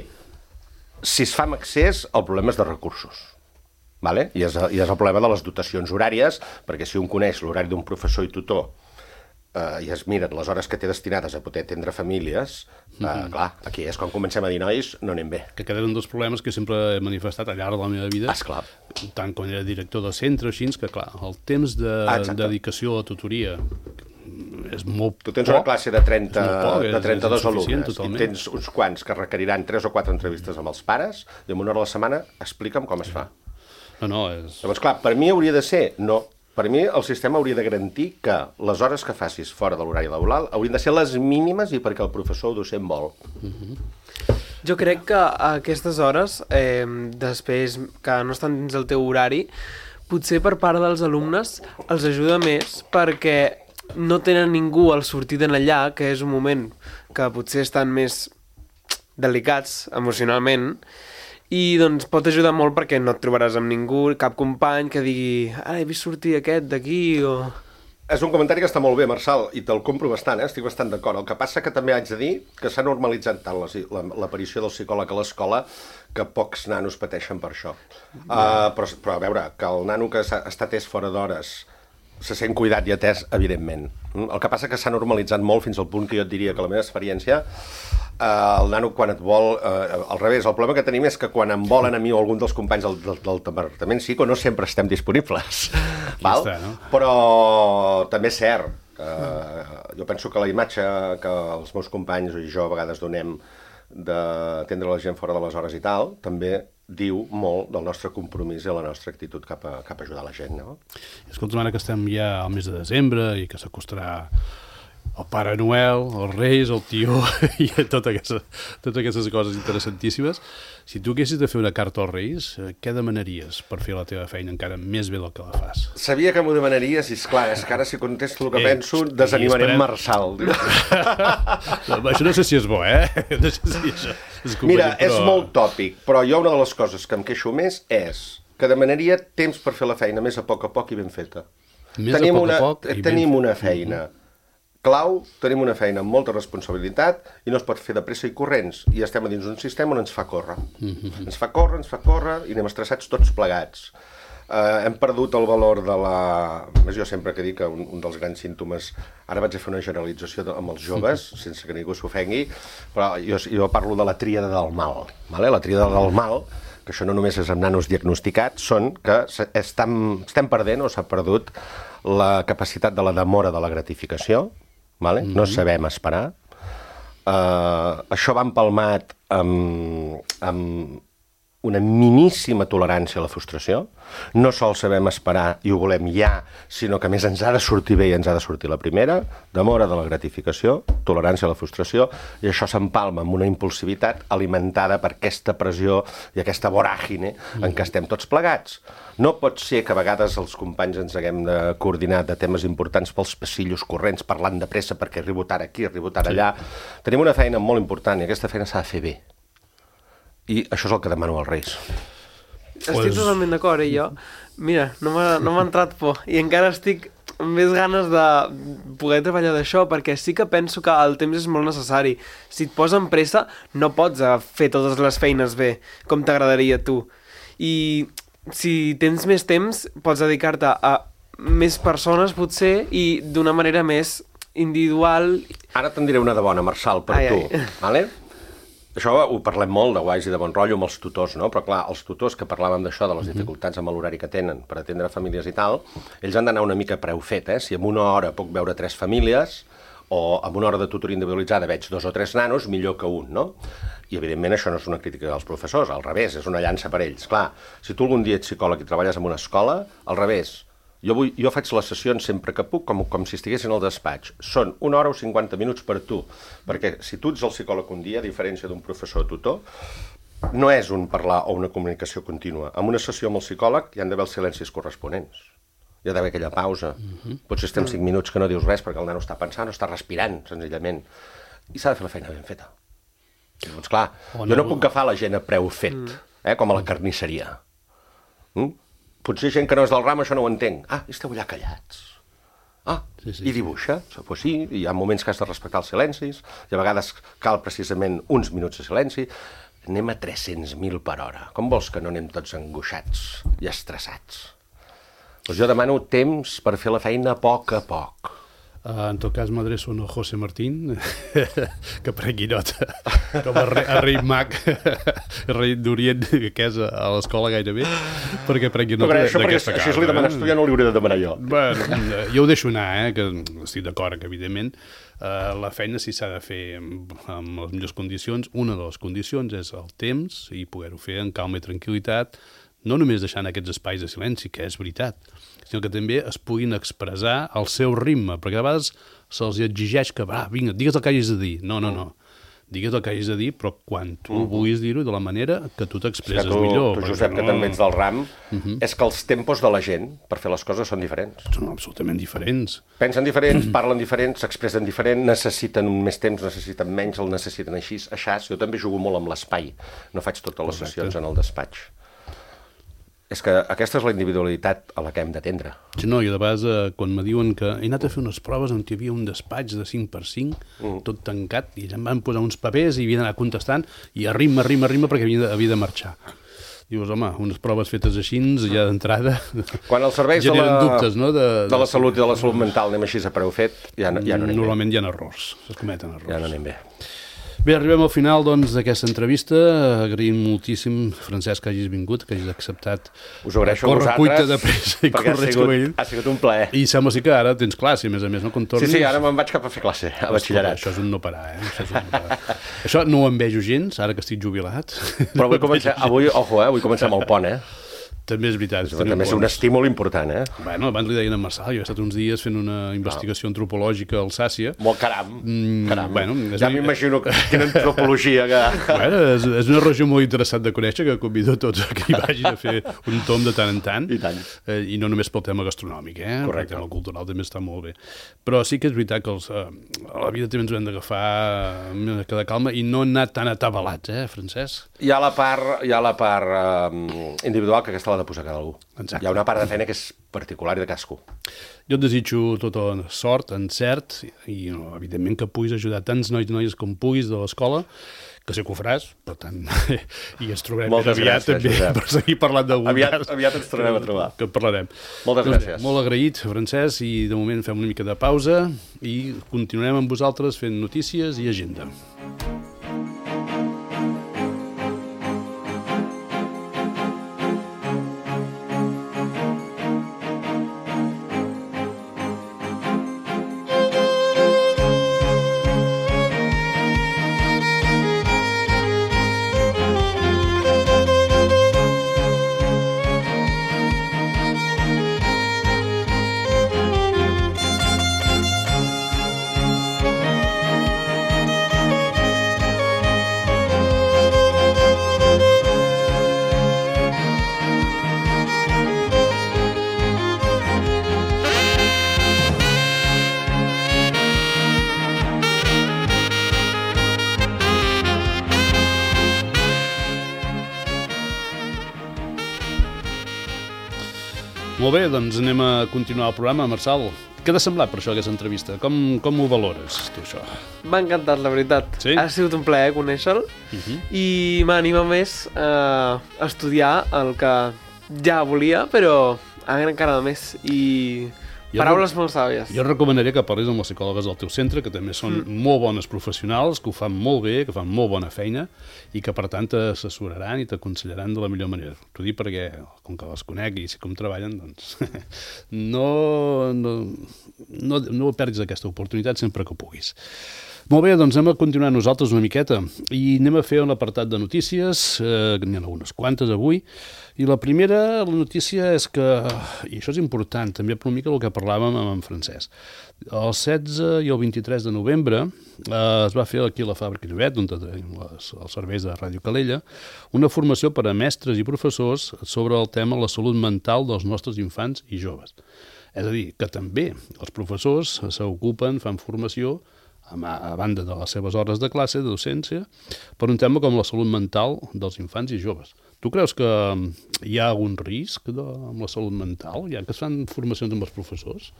si es fa amb accés, el problema és de recursos. Vale? I, és, I és el problema de les dotacions horàries, perquè si un coneix l'horari d'un professor i tutor Uh, i es miren les hores que té destinades a poder atendre famílies, uh, mm-hmm. clar, aquí és quan comencem a dir, nois, no anem bé. Que aquest és un dels problemes que sempre he manifestat al llarg de la meva vida, esclar. Tant quan era director del centre, així, que clar, el temps de ah, dedicació a la tutoria és molt poc. Tu tens una classe de, trenta, poc, de trenta-dos és, és alumnes totalment. I tens uns quants que requeriran tres o quatre entrevistes amb els pares i en una hora a la setmana explica'm com es fa. No, no, és... Llavors, clar, per mi hauria de ser... No, per mi el sistema hauria de garantir que les hores que facis fora de l'horari laboral haurien de ser les mínimes i perquè el professor o docent vol. Mm-hmm. Jo crec que aquestes hores, eh, després que no estan dins el teu horari, potser per part dels alumnes els ajuda més perquè no tenen ningú al sortir d'en allà, que és un moment que potser estan més delicats emocionalment, i doncs pot ajudar molt perquè no et trobaràs amb ningú, cap company que digui ara he vist sortir aquest d'aquí o... És un comentari que està molt bé, Marçal, i te'l compro bastant, eh? Estic bastant d'acord. El que passa que també haig de dir que s'ha normalitzat tant l'aparició del psicòleg a l'escola que pocs nanos pateixen per això. Mm. Uh, però, però a veure, que el nano que ha estat atès fora d'hores se sent cuidat i atès, evidentment. El que passa que s'ha normalitzat molt fins al punt que jo et diria que la meva experiència Uh, el nano quan et vol, uh, al revés, el problema que tenim és que quan em volen a mi o algun dels companys del, del, del departament psico no sempre estem disponibles. Val? Està, no? Però també és cert que uh, jo penso que la imatge que els meus companys i jo a vegades donem d'atendre la gent fora de les hores i tal, també diu molt del nostre compromís i la nostra actitud cap a, cap a ajudar la gent, no? Escolta, ara que estem ja al mes de desembre i que s'acostarà el Pare Noel, els Reis, el Tió i totes aquestes, totes aquestes coses interessantíssimes. Si tu haguessis de fer una carta als Reis, què demanaries per fer la teva feina encara més bé del que la fas? Sabia que m'ho demanaries i, esclar, és que ara si contesto el que eh, penso, desanimarem esperem... Marçal. No, això no sé si és bo, eh? No sé si això és Mira, però... és molt tòpic, però jo una de les coses que em queixo més és que demanaria temps per fer la feina més a poc a poc i ben feta. Més tenim a poc una, a poc i Tenim ben... una feina clau, tenim una feina amb molta responsabilitat i no es pot fer de pressa i corrents. I estem a dins un sistema on ens fa córrer. Mm-hmm. Ens fa córrer, ens fa córrer i anem estressats tots plegats. Uh, hem perdut el valor de la... Més jo sempre que dic que un, un dels grans símptomes... Ara vaig a fer una generalització de, amb els joves, mm-hmm. sense que ningú s'ofengui, però jo, jo parlo de la tríada del mal. Vale? La tríada del mal, que això no només és amb nanos diagnosticats, són que estem, estem perdent o s'ha perdut la capacitat de la demora de la gratificació. Vale? Mm-hmm. No sabem esperar. Uh, això va empalmat amb, amb una miníssima tolerància a la frustració. No sols sabem esperar i ho volem ja, sinó que a més ens ha de sortir bé i ens ha de sortir la primera. Demora de la gratificació, tolerància a la frustració, i això s'empalma amb una impulsivitat alimentada per aquesta pressió i aquesta voràgine en què estem tots plegats. No pot ser que a vegades els companys ens haguem de coordinar de temes importants pels passillos corrents, parlant de pressa perquè arribo tard aquí, arribo tard allà. Sí. Tenim una feina molt important i aquesta feina s'ha de fer bé. I això és el que demano als Reis. Estic pues... totalment d'acord, eh, jo. Mira, no m'ha no m'ha entrat por. I encara estic amb més ganes de poder treballar d'això, perquè sí que penso que el temps és molt necessari. Si et posen pressa, no pots fer totes les feines bé, com t'agradaria a tu. I si tens més temps, pots dedicar-te a més persones, potser, i d'una manera més individual. Ara te'n diré una de bona, Marçal, per ai, tu. Ai. Vale? Això ho parlem molt de guais i de bon rotllo amb els tutors, no? Però clar, els tutors que parlàvem d'això, de les dificultats amb l'horari que tenen per atendre famílies i tal, ells han d'anar una mica preu fet, eh? Si en una hora puc veure tres famílies o en una hora de tutoria individualitzada veig dos o tres nanos, millor que un, no? I evidentment això no és una crítica als professors, al revés, és una llança per ells. Clar, si tu algun dia ets psicòleg i treballes en una escola, al revés, Jo, vull, jo faig les sessions sempre que puc, com, com si estiguessin al despatx. Són una hora o cinquanta minuts per tu, perquè si tu ets el psicòleg un dia, a diferència d'un professor o tutor, no és un parlar o una comunicació contínua. En una sessió amb el psicòleg hi han d'haver els silencis corresponents. Hi ha d'haver aquella pausa. Uh-huh. Potser estem cinc minuts que no dius res perquè el nano està pensant o està respirant, senzillament. I s'ha de fer la feina ben feta. Doncs clar, jo no puc agafar la gent a preu fet, eh, com a la carnisseria. Mm? Potser gent que no és del ram, això no ho entenc. Ah, esteu allà callats. Ah, sí, sí, i dibuixa. Sí. Pues sí, hi ha moments que has de respectar els silencis, i a vegades cal precisament uns minuts de silenci. Anem a tres-cents mil per hora. Com vols que no anem tots angoixats i estressats? Doncs jo demano temps per fer la feina a poc a poc. Uh, en tot cas m'adreço a José Martín, que prengui nota, com a, re, a rei mag, rei d'Orient, que és a l'escola gairebé, perquè prengui nota d'aquesta casa. Això li demanes tu, ja no li hauré de demanar jo. Bueno, jo ho deixo anar, eh, que estic d'acord, que evidentment uh, la feina si s'ha de fer amb, amb les millors condicions. Una de les condicions és el temps i poder-ho fer en calma i tranquil·litat, no només deixant aquests espais de silenci, que és veritat, sinó que també es puguin expressar al seu ritme, perquè a vegades se'ls exigeix que, va, vinga, digues el que hagis de dir. No, no, no. Digues el que hagis de dir, però quan tu uh-huh. vulguis dir-ho de la manera que tu t'expresses tu, millor. Tu, Josep, no... que també ets del ram, uh-huh. és que els tempos de la gent per fer les coses són diferents. Són absolutament diferents. Pensen diferents, parlen diferents, s'expressen diferent, necessiten més temps, necessiten menys, el necessiten així, aixà. Jo també jugo molt amb l'espai. No faig totes les Correcte. Sessions en el despatx. És que aquesta és la individualitat a la que hem d'atendre. Sí, no, i de vegades, eh, quan me diuen que he anat a fer unes proves on hi havia un despatx de cinc per cinc, mm. tot tancat, i ja em van posar uns papers i havia d'anar contestant, i a ritme, a ritme, a ritme, perquè havia de, havia de marxar. Dius, home, unes proves fetes així, ja d'entrada, quan els serveis de la, dubtes, no? de, de, de la salut i de la salut mental anem així a preu fet, ja no, ja no anem Normalment bé. Hi ha errors, es cometen errors. Ja no anem bé. Bé, arribem al final doncs, d'aquesta entrevista. Agraïm moltíssim, Francesc, que hagis vingut, que hagis acceptat. Us ho agraeixo a vosaltres, de pressa i perquè ha sigut, ha sigut un plaer. I sembla sí que ara tens classe, a més a més, no? Quan tornis... Sí, sí, ara me'n vaig cap a fer classe, a batxillerat. Això és un no parar, eh? Això, és un no parar. Això no ho envejo gens, ara que estic jubilat. Però avui, comencem, avui ojo, eh? Avui comencem el pont, eh? També és veritat. També és un estímul important, eh? Bueno, abans li deien a Marçal, jo he estat uns dies fent una investigació no. antropològica a Alsàcia. Molt caram, mm, caram. Bueno, ja m'imagino quina antropologia que... Bueno, és, és una regió molt interessant de conèixer, que convido tots a que hi vagin a fer un tom de tant en tant. I tant. Eh, I no només pel tema gastronòmic, eh? Correcte. El tema cultural també està molt bé. Però sí que és veritat que els, eh, a la vida també ens ho hem d'agafar amb cada calma i no anar tan atabalats, eh, Francesc? Hi ha la part, hi ha la part eh, individual que aquesta l'ha de posar cada algú. Exacte. Hi ha una part de feina que és particular i de cadascú. Jo et desitjo tota la sort, encert, i no, evidentment que puguis ajudar tants nois i noies com puguis de l'escola, que sé que ho faràs, per tant, i ens trobarem Moltes aviat gràcies, també Josep. per seguir parlant d'algun Aviat, cas. aviat ens tornarem a trobar. Que parlarem. Moltes doncs, gràcies. Molt agraït, Francesc, i de moment fem una mica de pausa i continuem amb vosaltres fent notícies i agenda. Molt bé, doncs anem a continuar el programa. Marçal, què t'ha semblat per això aquesta entrevista? Com, com ho valores, tu, això? M'ha encantat, la veritat. Sí? Ha sigut un plaer conèixer-lo Uh-huh. i m'anima més a estudiar el que ja volia, però encara més. I Jo Paraules molt sàvies. Jo recomanaria que parlis amb les psicòlogues del teu centre, que també són mm. molt bones professionals, que ho fan molt bé, que fan molt bona feina i que, per tant, t'assessoraran i t'aconsellaran de la millor manera. T'ho dic perquè, com que les conec i sé com treballen, doncs no, no, no, no perdis aquesta oportunitat sempre que puguis. Molt bé, doncs anem a continuar nosaltres una miqueta i anem a fer un apartat de notícies, eh, n'hi ha algunes quantes avui, i la primera, la notícia és que, i això és important, també per una mica el que parlàvem amb en Francesc, el setze i el vint-i-tres de novembre eh, es va fer aquí a la Fàbrica Llobet, on tenim les, els serveis de Ràdio Calella, una formació per a mestres i professors sobre el tema la salut mental dels nostres infants i joves. És a dir, que també els professors s'ocupen, fan formació, a banda de les seves hores de classe, de docència, per un tema com la salut mental dels infants i joves. Tu creus que hi ha algun risc de, amb la salut mental, ja que es fan formacions amb els professors?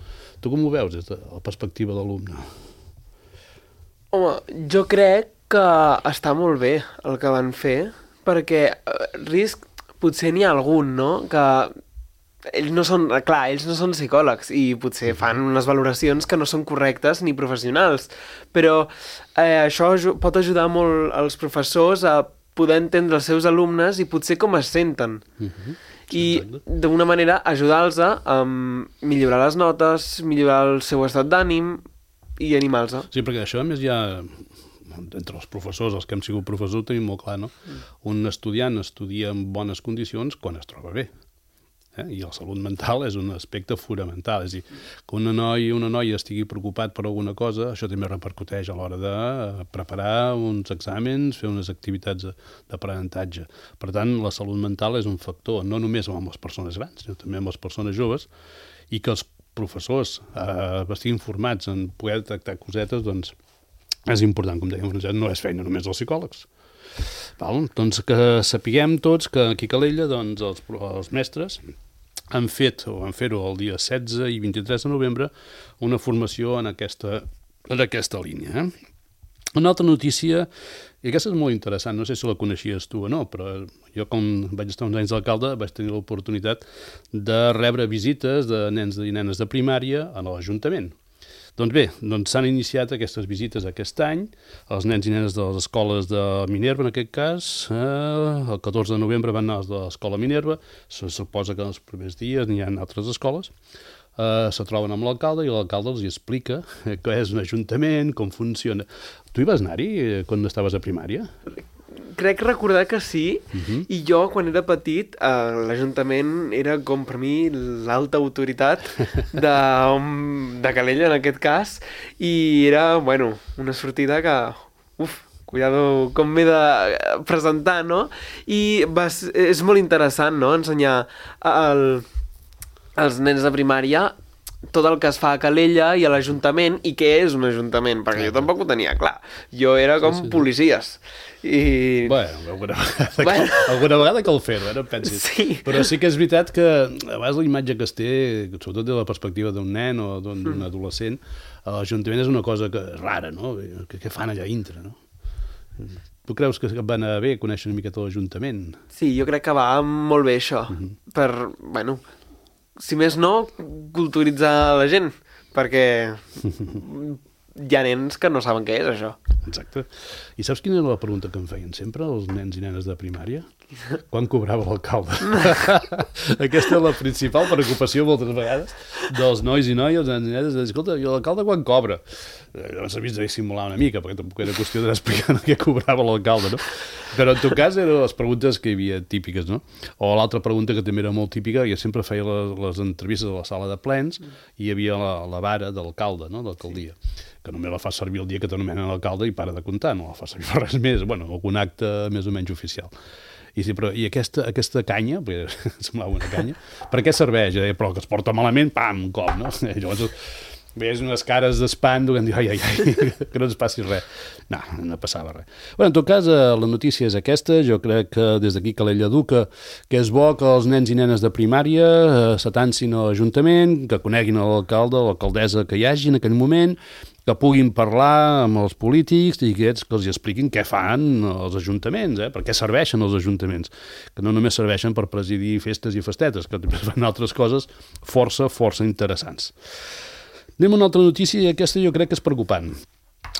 Tu com ho veus des de la perspectiva d'alumne? Home, jo crec que està molt bé el que van fer, perquè risc potser n'hi ha algun, no?, que ells no són, clar, ells no són psicòlegs i potser fan unes valoracions que no són correctes ni professionals, però eh, això pot ajudar molt als professors a poder entendre els seus alumnes i potser com es senten. Uh-huh. I d'una manera ajudar-los a um, millorar les notes, millorar el seu estat d'ànim i animar-los. Sí, perquè això a més hi ha, entre els professors, els que hem sigut professors, tenim molt clar, no? Mm. Un estudiant estudia en bones condicions quan es troba bé. Eh? I la salut mental és un aspecte fonamental. És a dir, que una noia una noia estigui preocupat per alguna cosa, això també repercuteix a l'hora de preparar uns exàmens, fer unes activitats d'aprenentatge. Per tant, la salut mental és un factor, no només amb les persones grans, sinó també amb les persones joves, i que els professors eh, estiguin formats en poder tractar cosetes, doncs és important, com dèiem, no és feina només dels psicòlegs. Val? Doncs que sapiguem tots que aquí a Calella doncs, els, els mestres han fet, o van fer-ho el dia setze i vint-i-tres de novembre, una formació en aquesta, en aquesta línia. Eh? Una altra notícia, i aquesta és molt interessant, no sé si la coneixies tu o no, però jo com vaig estar uns anys d'alcalde vaig tenir l'oportunitat de rebre visites de nens i nenes de primària a l'Ajuntament. Doncs bé, doncs s'han iniciat aquestes visites aquest any, els nens i nenes de les escoles de Minerva, en aquest cas, eh, el catorze de novembre van anar de l'escola Minerva, se suposa que en els primers dies n'hi ha altres escoles, eh, se troben amb l'alcalde i l'alcalde els explica què és un ajuntament, com funciona. Tu hi vas anar-hi quan estaves a primària? Crec recordar que sí, uh-huh. I jo, quan era petit, eh, l'Ajuntament era com per mi l'alta autoritat de, de Calella, en aquest cas, i era, bueno, una sortida que, uf, cuidado com m'he de presentar, no? I vas, és molt interessant, no?, ensenyar al, als nens de primària tot el que es fa a Calella i a l'Ajuntament i què és un ajuntament, perquè jo tampoc ho tenia clar. Jo era com sí, sí, policies. I... Bueno, alguna vegada, bueno. Cal, alguna vegada cal fer-ho, eh? No em pensis. Sí. Però sí que és veritat que a vegades la imatge que es té, sobretot de la perspectiva d'un nen o d'un mm. adolescent, a l'Ajuntament és una cosa que, rara, no? Què, què fan allà dintre, no? Tu creus que va anar bé conèixer una miqueta l'Ajuntament? Sí, jo crec que va molt bé això. Mm-hmm. Per, bueno... si més no, culturitzar la gent, perquè hi ha nens que no saben què és això. Exacte. I saps quina era la pregunta que em feien sempre els nens i nenes de primària? Quan cobrava l'alcalde? Aquesta és la principal preocupació moltes vegades dels nois i noies, els nens i nenes, de dir, escolta, i l'alcalde quan cobra? Llavors s'ha vist de dissimular una mica, perquè tampoc era qüestió d'explicar què cobrava l'alcalde, no? Però en tot cas eren les preguntes que hi havia típiques, no? O l'altra pregunta que també era molt típica, jo sempre feia les, les entrevistes a la sala de plens i hi havia la, la vara de l'alcalde, no?, d'alcaldia, que només la fa servir el dia que t'anomenen l'alcalde i para de comptar, no la fa servir per res més, bueno, algun acte més o menys oficial. I, sí, però, i aquesta, aquesta canya, perquè semblava una canya, per què serveix? Eh? Però que es porta malament, pam, un cop, no? Llavors, Veies unes cares d'espant que em diu, ai, ai, ai, que no ens passi res. No, no passava res. Bé, en tot cas, la notícia és aquesta. Jo crec que des d'aquí Calella Educa, que és bo que els nens i nenes de primària s'atancin a l'Ajuntament, que coneguin l'alcalde o l'alcaldessa que hi hagi en aquell moment, que puguin parlar amb els polítics i aquests que els expliquin què fan els ajuntaments, eh? Per què serveixen els ajuntaments, que no només serveixen per presidir festes i festetes, que també fan altres coses força, força interessants. Anem a una altra notícia i aquesta jo crec que és preocupant.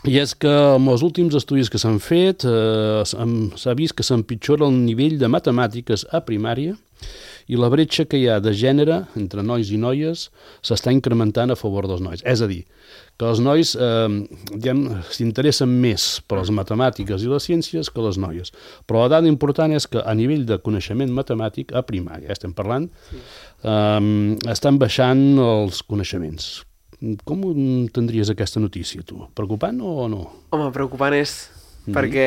I és que amb els últims estudis que s'han fet eh, s'ha vist que s'empitjora el nivell de matemàtiques a primària i la bretxa que hi ha de gènere entre nois i noies s'està incrementant a favor dels nois. És a dir, que els nois eh, diguem, s'interessen més per les matemàtiques i les ciències que les noies. Però la dada important és que a nivell de coneixement matemàtic a primària, estem parlant, sí. eh, estan baixant els coneixements. Com entendries aquesta notícia, tu? Preocupant o no? Home, preocupant és mm-hmm. perquè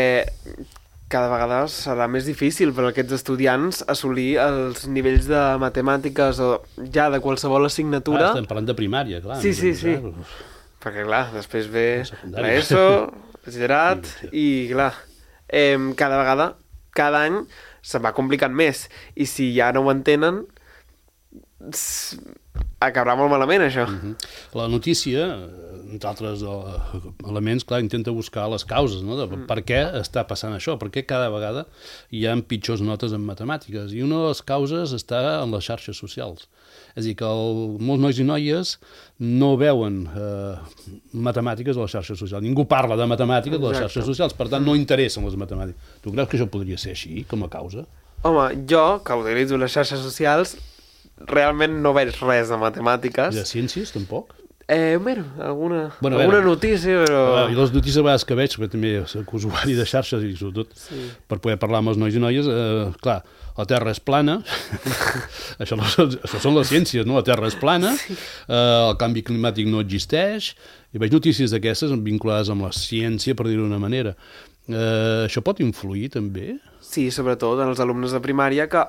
cada vegada serà més difícil per a aquests estudiants assolir els nivells de matemàtiques o ja de qualsevol assignatura. Ah, estem parlant de primària, clar. Sí, sí, sí. Clar. Perquè, clar, després ve l'ESO, batxillerat, i, clar, eh, cada vegada, cada any, se'n va complicant més. I si ja no ho entenen, acabarà molt malament, això. Uh-huh. La notícia, entre altres elements, clar, intenta buscar les causes, no? De mm. per què està passant això, per què cada vegada hi ha pitjors notes en matemàtiques. I una de les causes està en les xarxes socials. És a dir, que el, molts nois i noies no veuen eh, matemàtiques a les xarxes socials. Ningú parla de matemàtiques a les xarxes socials, per tant no interessen les matemàtiques. Tu creus que això podria ser així, com a causa? Home, jo, que utilitzo les xarxes socials, realment no veig res de matemàtiques. I de ciències, tampoc? Eh, bueno, alguna, bueno, alguna veure, notícia, però... I les notícies a vegades que veig, perquè també soc usuari de xarxes i sobretot sí. per poder parlar amb els nois i noies, eh, clar, la Terra és plana, això, no, això són les ciències, no? La Terra és plana, sí. eh, el canvi climàtic no existeix, i veig notícies d'aquestes vinculades amb la ciència, per dir-ho d'una manera. Eh, això pot influir, també? Sí, sobretot en els alumnes de primària, que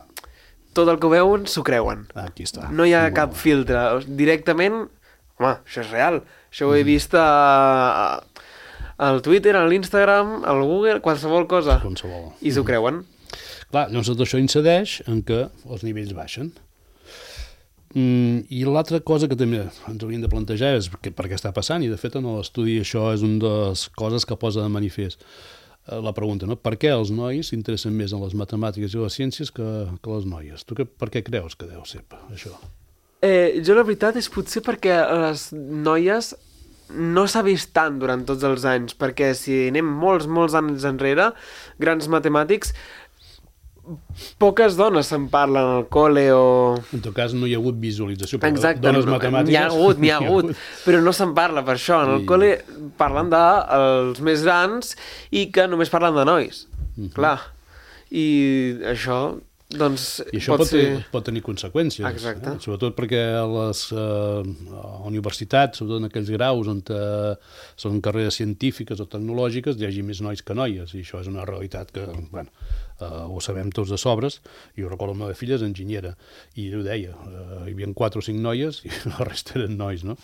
tot el que veuen s'ho creuen. Ah, aquí està. No hi ha Molt cap filtre. Directament, home, això és real. Això ho he vist a, a, al Twitter, a l'Instagram, al Google, qualsevol cosa. Qualsevol. I s'ho creuen. Clar, llavors tot això incideix en que els nivells baixen. Mm, I l'altra cosa que també ens hauríem de plantejar és que, per què està passant, i de fet en l'estudi això és una de les coses que posa de manifest. La pregunta, no? Per què els nois s'interessen més en les matemàtiques i les ciències que, que les noies? Tu que, per què creus que deu ser això? Eh, jo la veritat és potser perquè les noies no s'ha vist tant durant tots els anys, perquè si anem molts, molts anys enrere, grans matemàtics, poques dones se'n parlen al col·le o... En tot cas no hi ha hagut visualització per Exacte, dones matemàtiques. N'hi ha hagut, n'hi ha hagut, però no se'n parla per això. En el I... col·le parlen dels més grans i que només parlen de nois, uh-huh. clar. I això, doncs, I això pot, pot ser... pot tenir conseqüències. Exacte. Eh? Sobretot perquè a les uh, universitats, sobretot en aquells graus on uh, són carreres científiques o tecnològiques, hi hagi més nois que noies, i això és una realitat que, bueno, Uh, ho sabem tots de sobres. Jo recordo la meva filla és enginyera i ho deia, uh, hi havia quatre o cinc noies i la resta eren nois, no?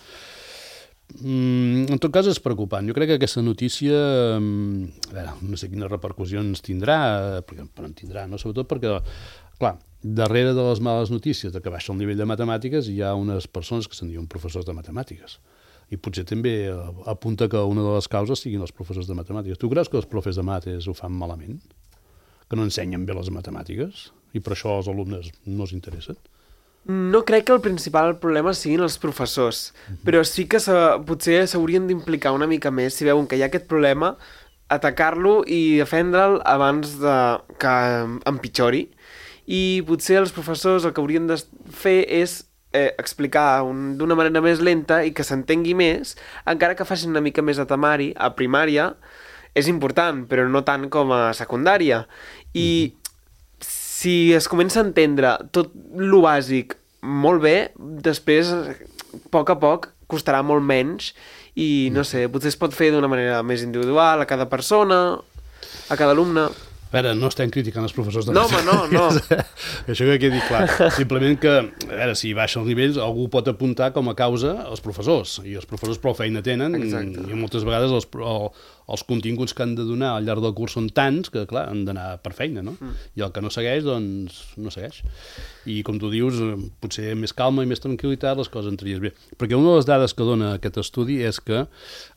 Mm, en tot cas és preocupant. Jo crec que aquesta notícia um, a veure, no sé quines repercussions tindrà, però en tindrà, no? Sobretot perquè, clar, darrere de les males notícies de que baixa el nivell de matemàtiques hi ha unes persones que se'n diuen professors de matemàtiques. I potser també apunta que una de les causes siguin els professors de matemàtiques. Tu creus que els professors de mates ho fan malament? Que no ensenyen bé les matemàtiques i per això els alumnes no s'interessen? No crec que el principal problema siguin els professors, uh-huh. però sí que potser s'haurien d'implicar una mica més si veuen que hi ha aquest problema, atacar-lo i defendre'l abans de que empitjori. I potser els professors el que haurien de fer és eh, explicar un, d'una manera més lenta i que s'entengui més, encara que facin una mica més de temari a primària. És important, però no tant com a secundària. I uh-huh. si es comença a entendre tot lo bàsic molt bé, després, a poc a poc, costarà molt menys i, no sé, potser es pot fer d'una manera més individual a cada persona, a cada alumne. A veure, no estem criticant els professors de No, home, no, no. Això que quedi clar. Simplement que, a veure, si baixa els nivells, algú pot apuntar com a causa els professors, i els professors prou feina tenen, Exacte. i moltes vegades els, el, els continguts que han de donar al llarg del curs són tants que, clar, han d'anar per feina, no? Mm. I el que no segueix, doncs, no segueix. I, com tu dius, potser més calma i més tranquil·litat les coses entraries bé. Perquè una de les dades que dona aquest estudi és que eh,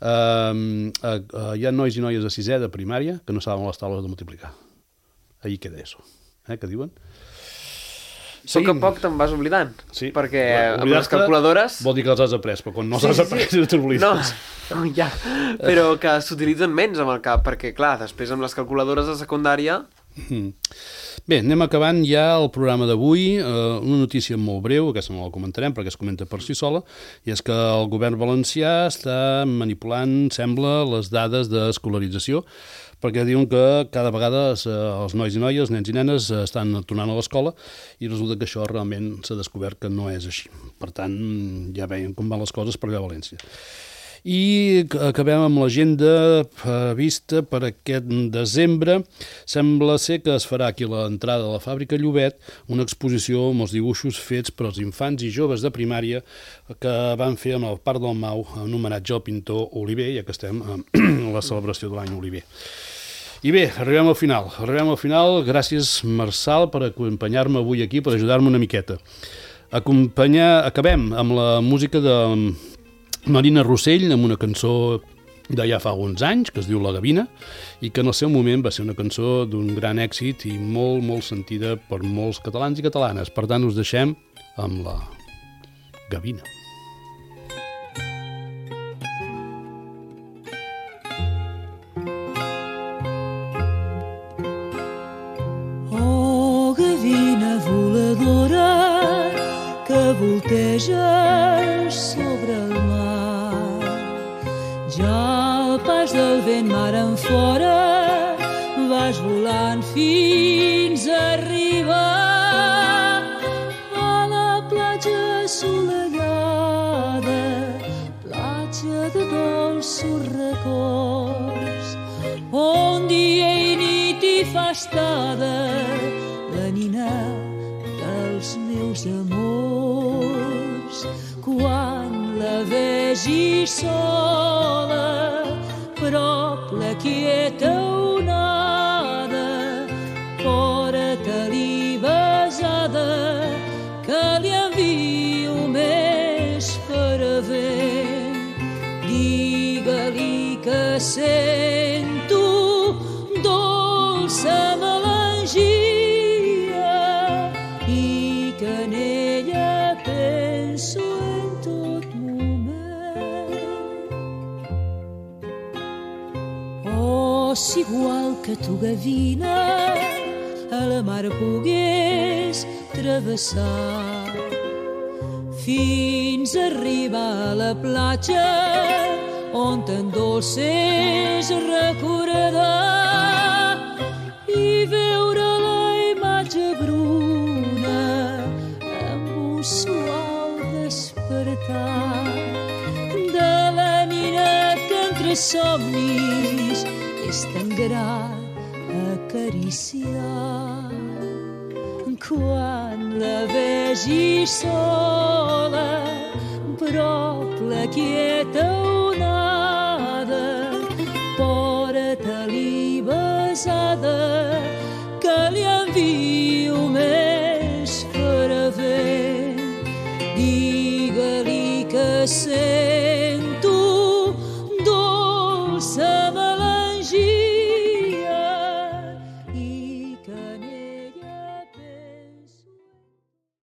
eh, hi ha nois i noies de sisè de primària que no saben les taules de multiplicar. Ahí queda eso. Eh, què diuen? Sí. Poc a poc te'n vas oblidant. Sí. Perquè amb les calculadores... Vol dir que els has après, però quan no els sí, has après, sí. t'oblides. No, no, ja. Però que s'utilitzen menys amb el cap, perquè, clar, després amb les calculadores de secundària... Mm. Bé, anem acabant ja el programa d'avui. Uh, una notícia molt breu, aquesta no la comentarem perquè es comenta per si sola, i és que el govern valencià està manipulant, sembla, les dades d'escolarització, perquè diuen que cada vegada els nois i noies, els nens i nenes, estan tornant a l'escola i resulta que això realment s'ha descobert que no és així. Per tant, ja veiem com van les coses per allà a València. I acabem amb l'agenda vista per aquest desembre. Sembla ser que es farà aquí a l'entrada de la fàbrica Llobet una exposició amb els dibuixos fets per als infants i joves de primària que van fer amb el Parc del Mau en homenatge al pintor Oliver, ja que estem a la celebració de l'any Oliver. I bé, arribem al final. Arribem al final. Gràcies, Marçal, per acompanyar-me avui aquí, per ajudar-me una miqueta. Acompanyar... Acabem amb la música de Marina Rossell, amb una cançó de ja fa alguns anys, que es diu La Gavina, i que en el seu moment va ser una cançó d'un gran èxit i molt, molt sentida per molts catalans i catalanes. Per tant, us deixem amb La Gavina. Volteges sobre el mar, ja al pas del vent mar en fora vas volant fins a arribar a la platja assolellada, platja de dolços records, on dia i nit hi fa estada la nina dels meus amors. Quan la vegi sola, prop la quieta onada, fora-te-li besada, que li envio més paravent. Digue-li que sento dolça melangia i que en ella penso en tot moment. Oh, si igual que tu, gavina, a la mar pogués travessar fins a arribar a la platja on t'endolcés recordar i veure la imatge bruna amb un suau despertar de la nina que entre somnis és tan grat acariciar. Quan la vegi sola, prop la quieta onada, fora-te-li besada,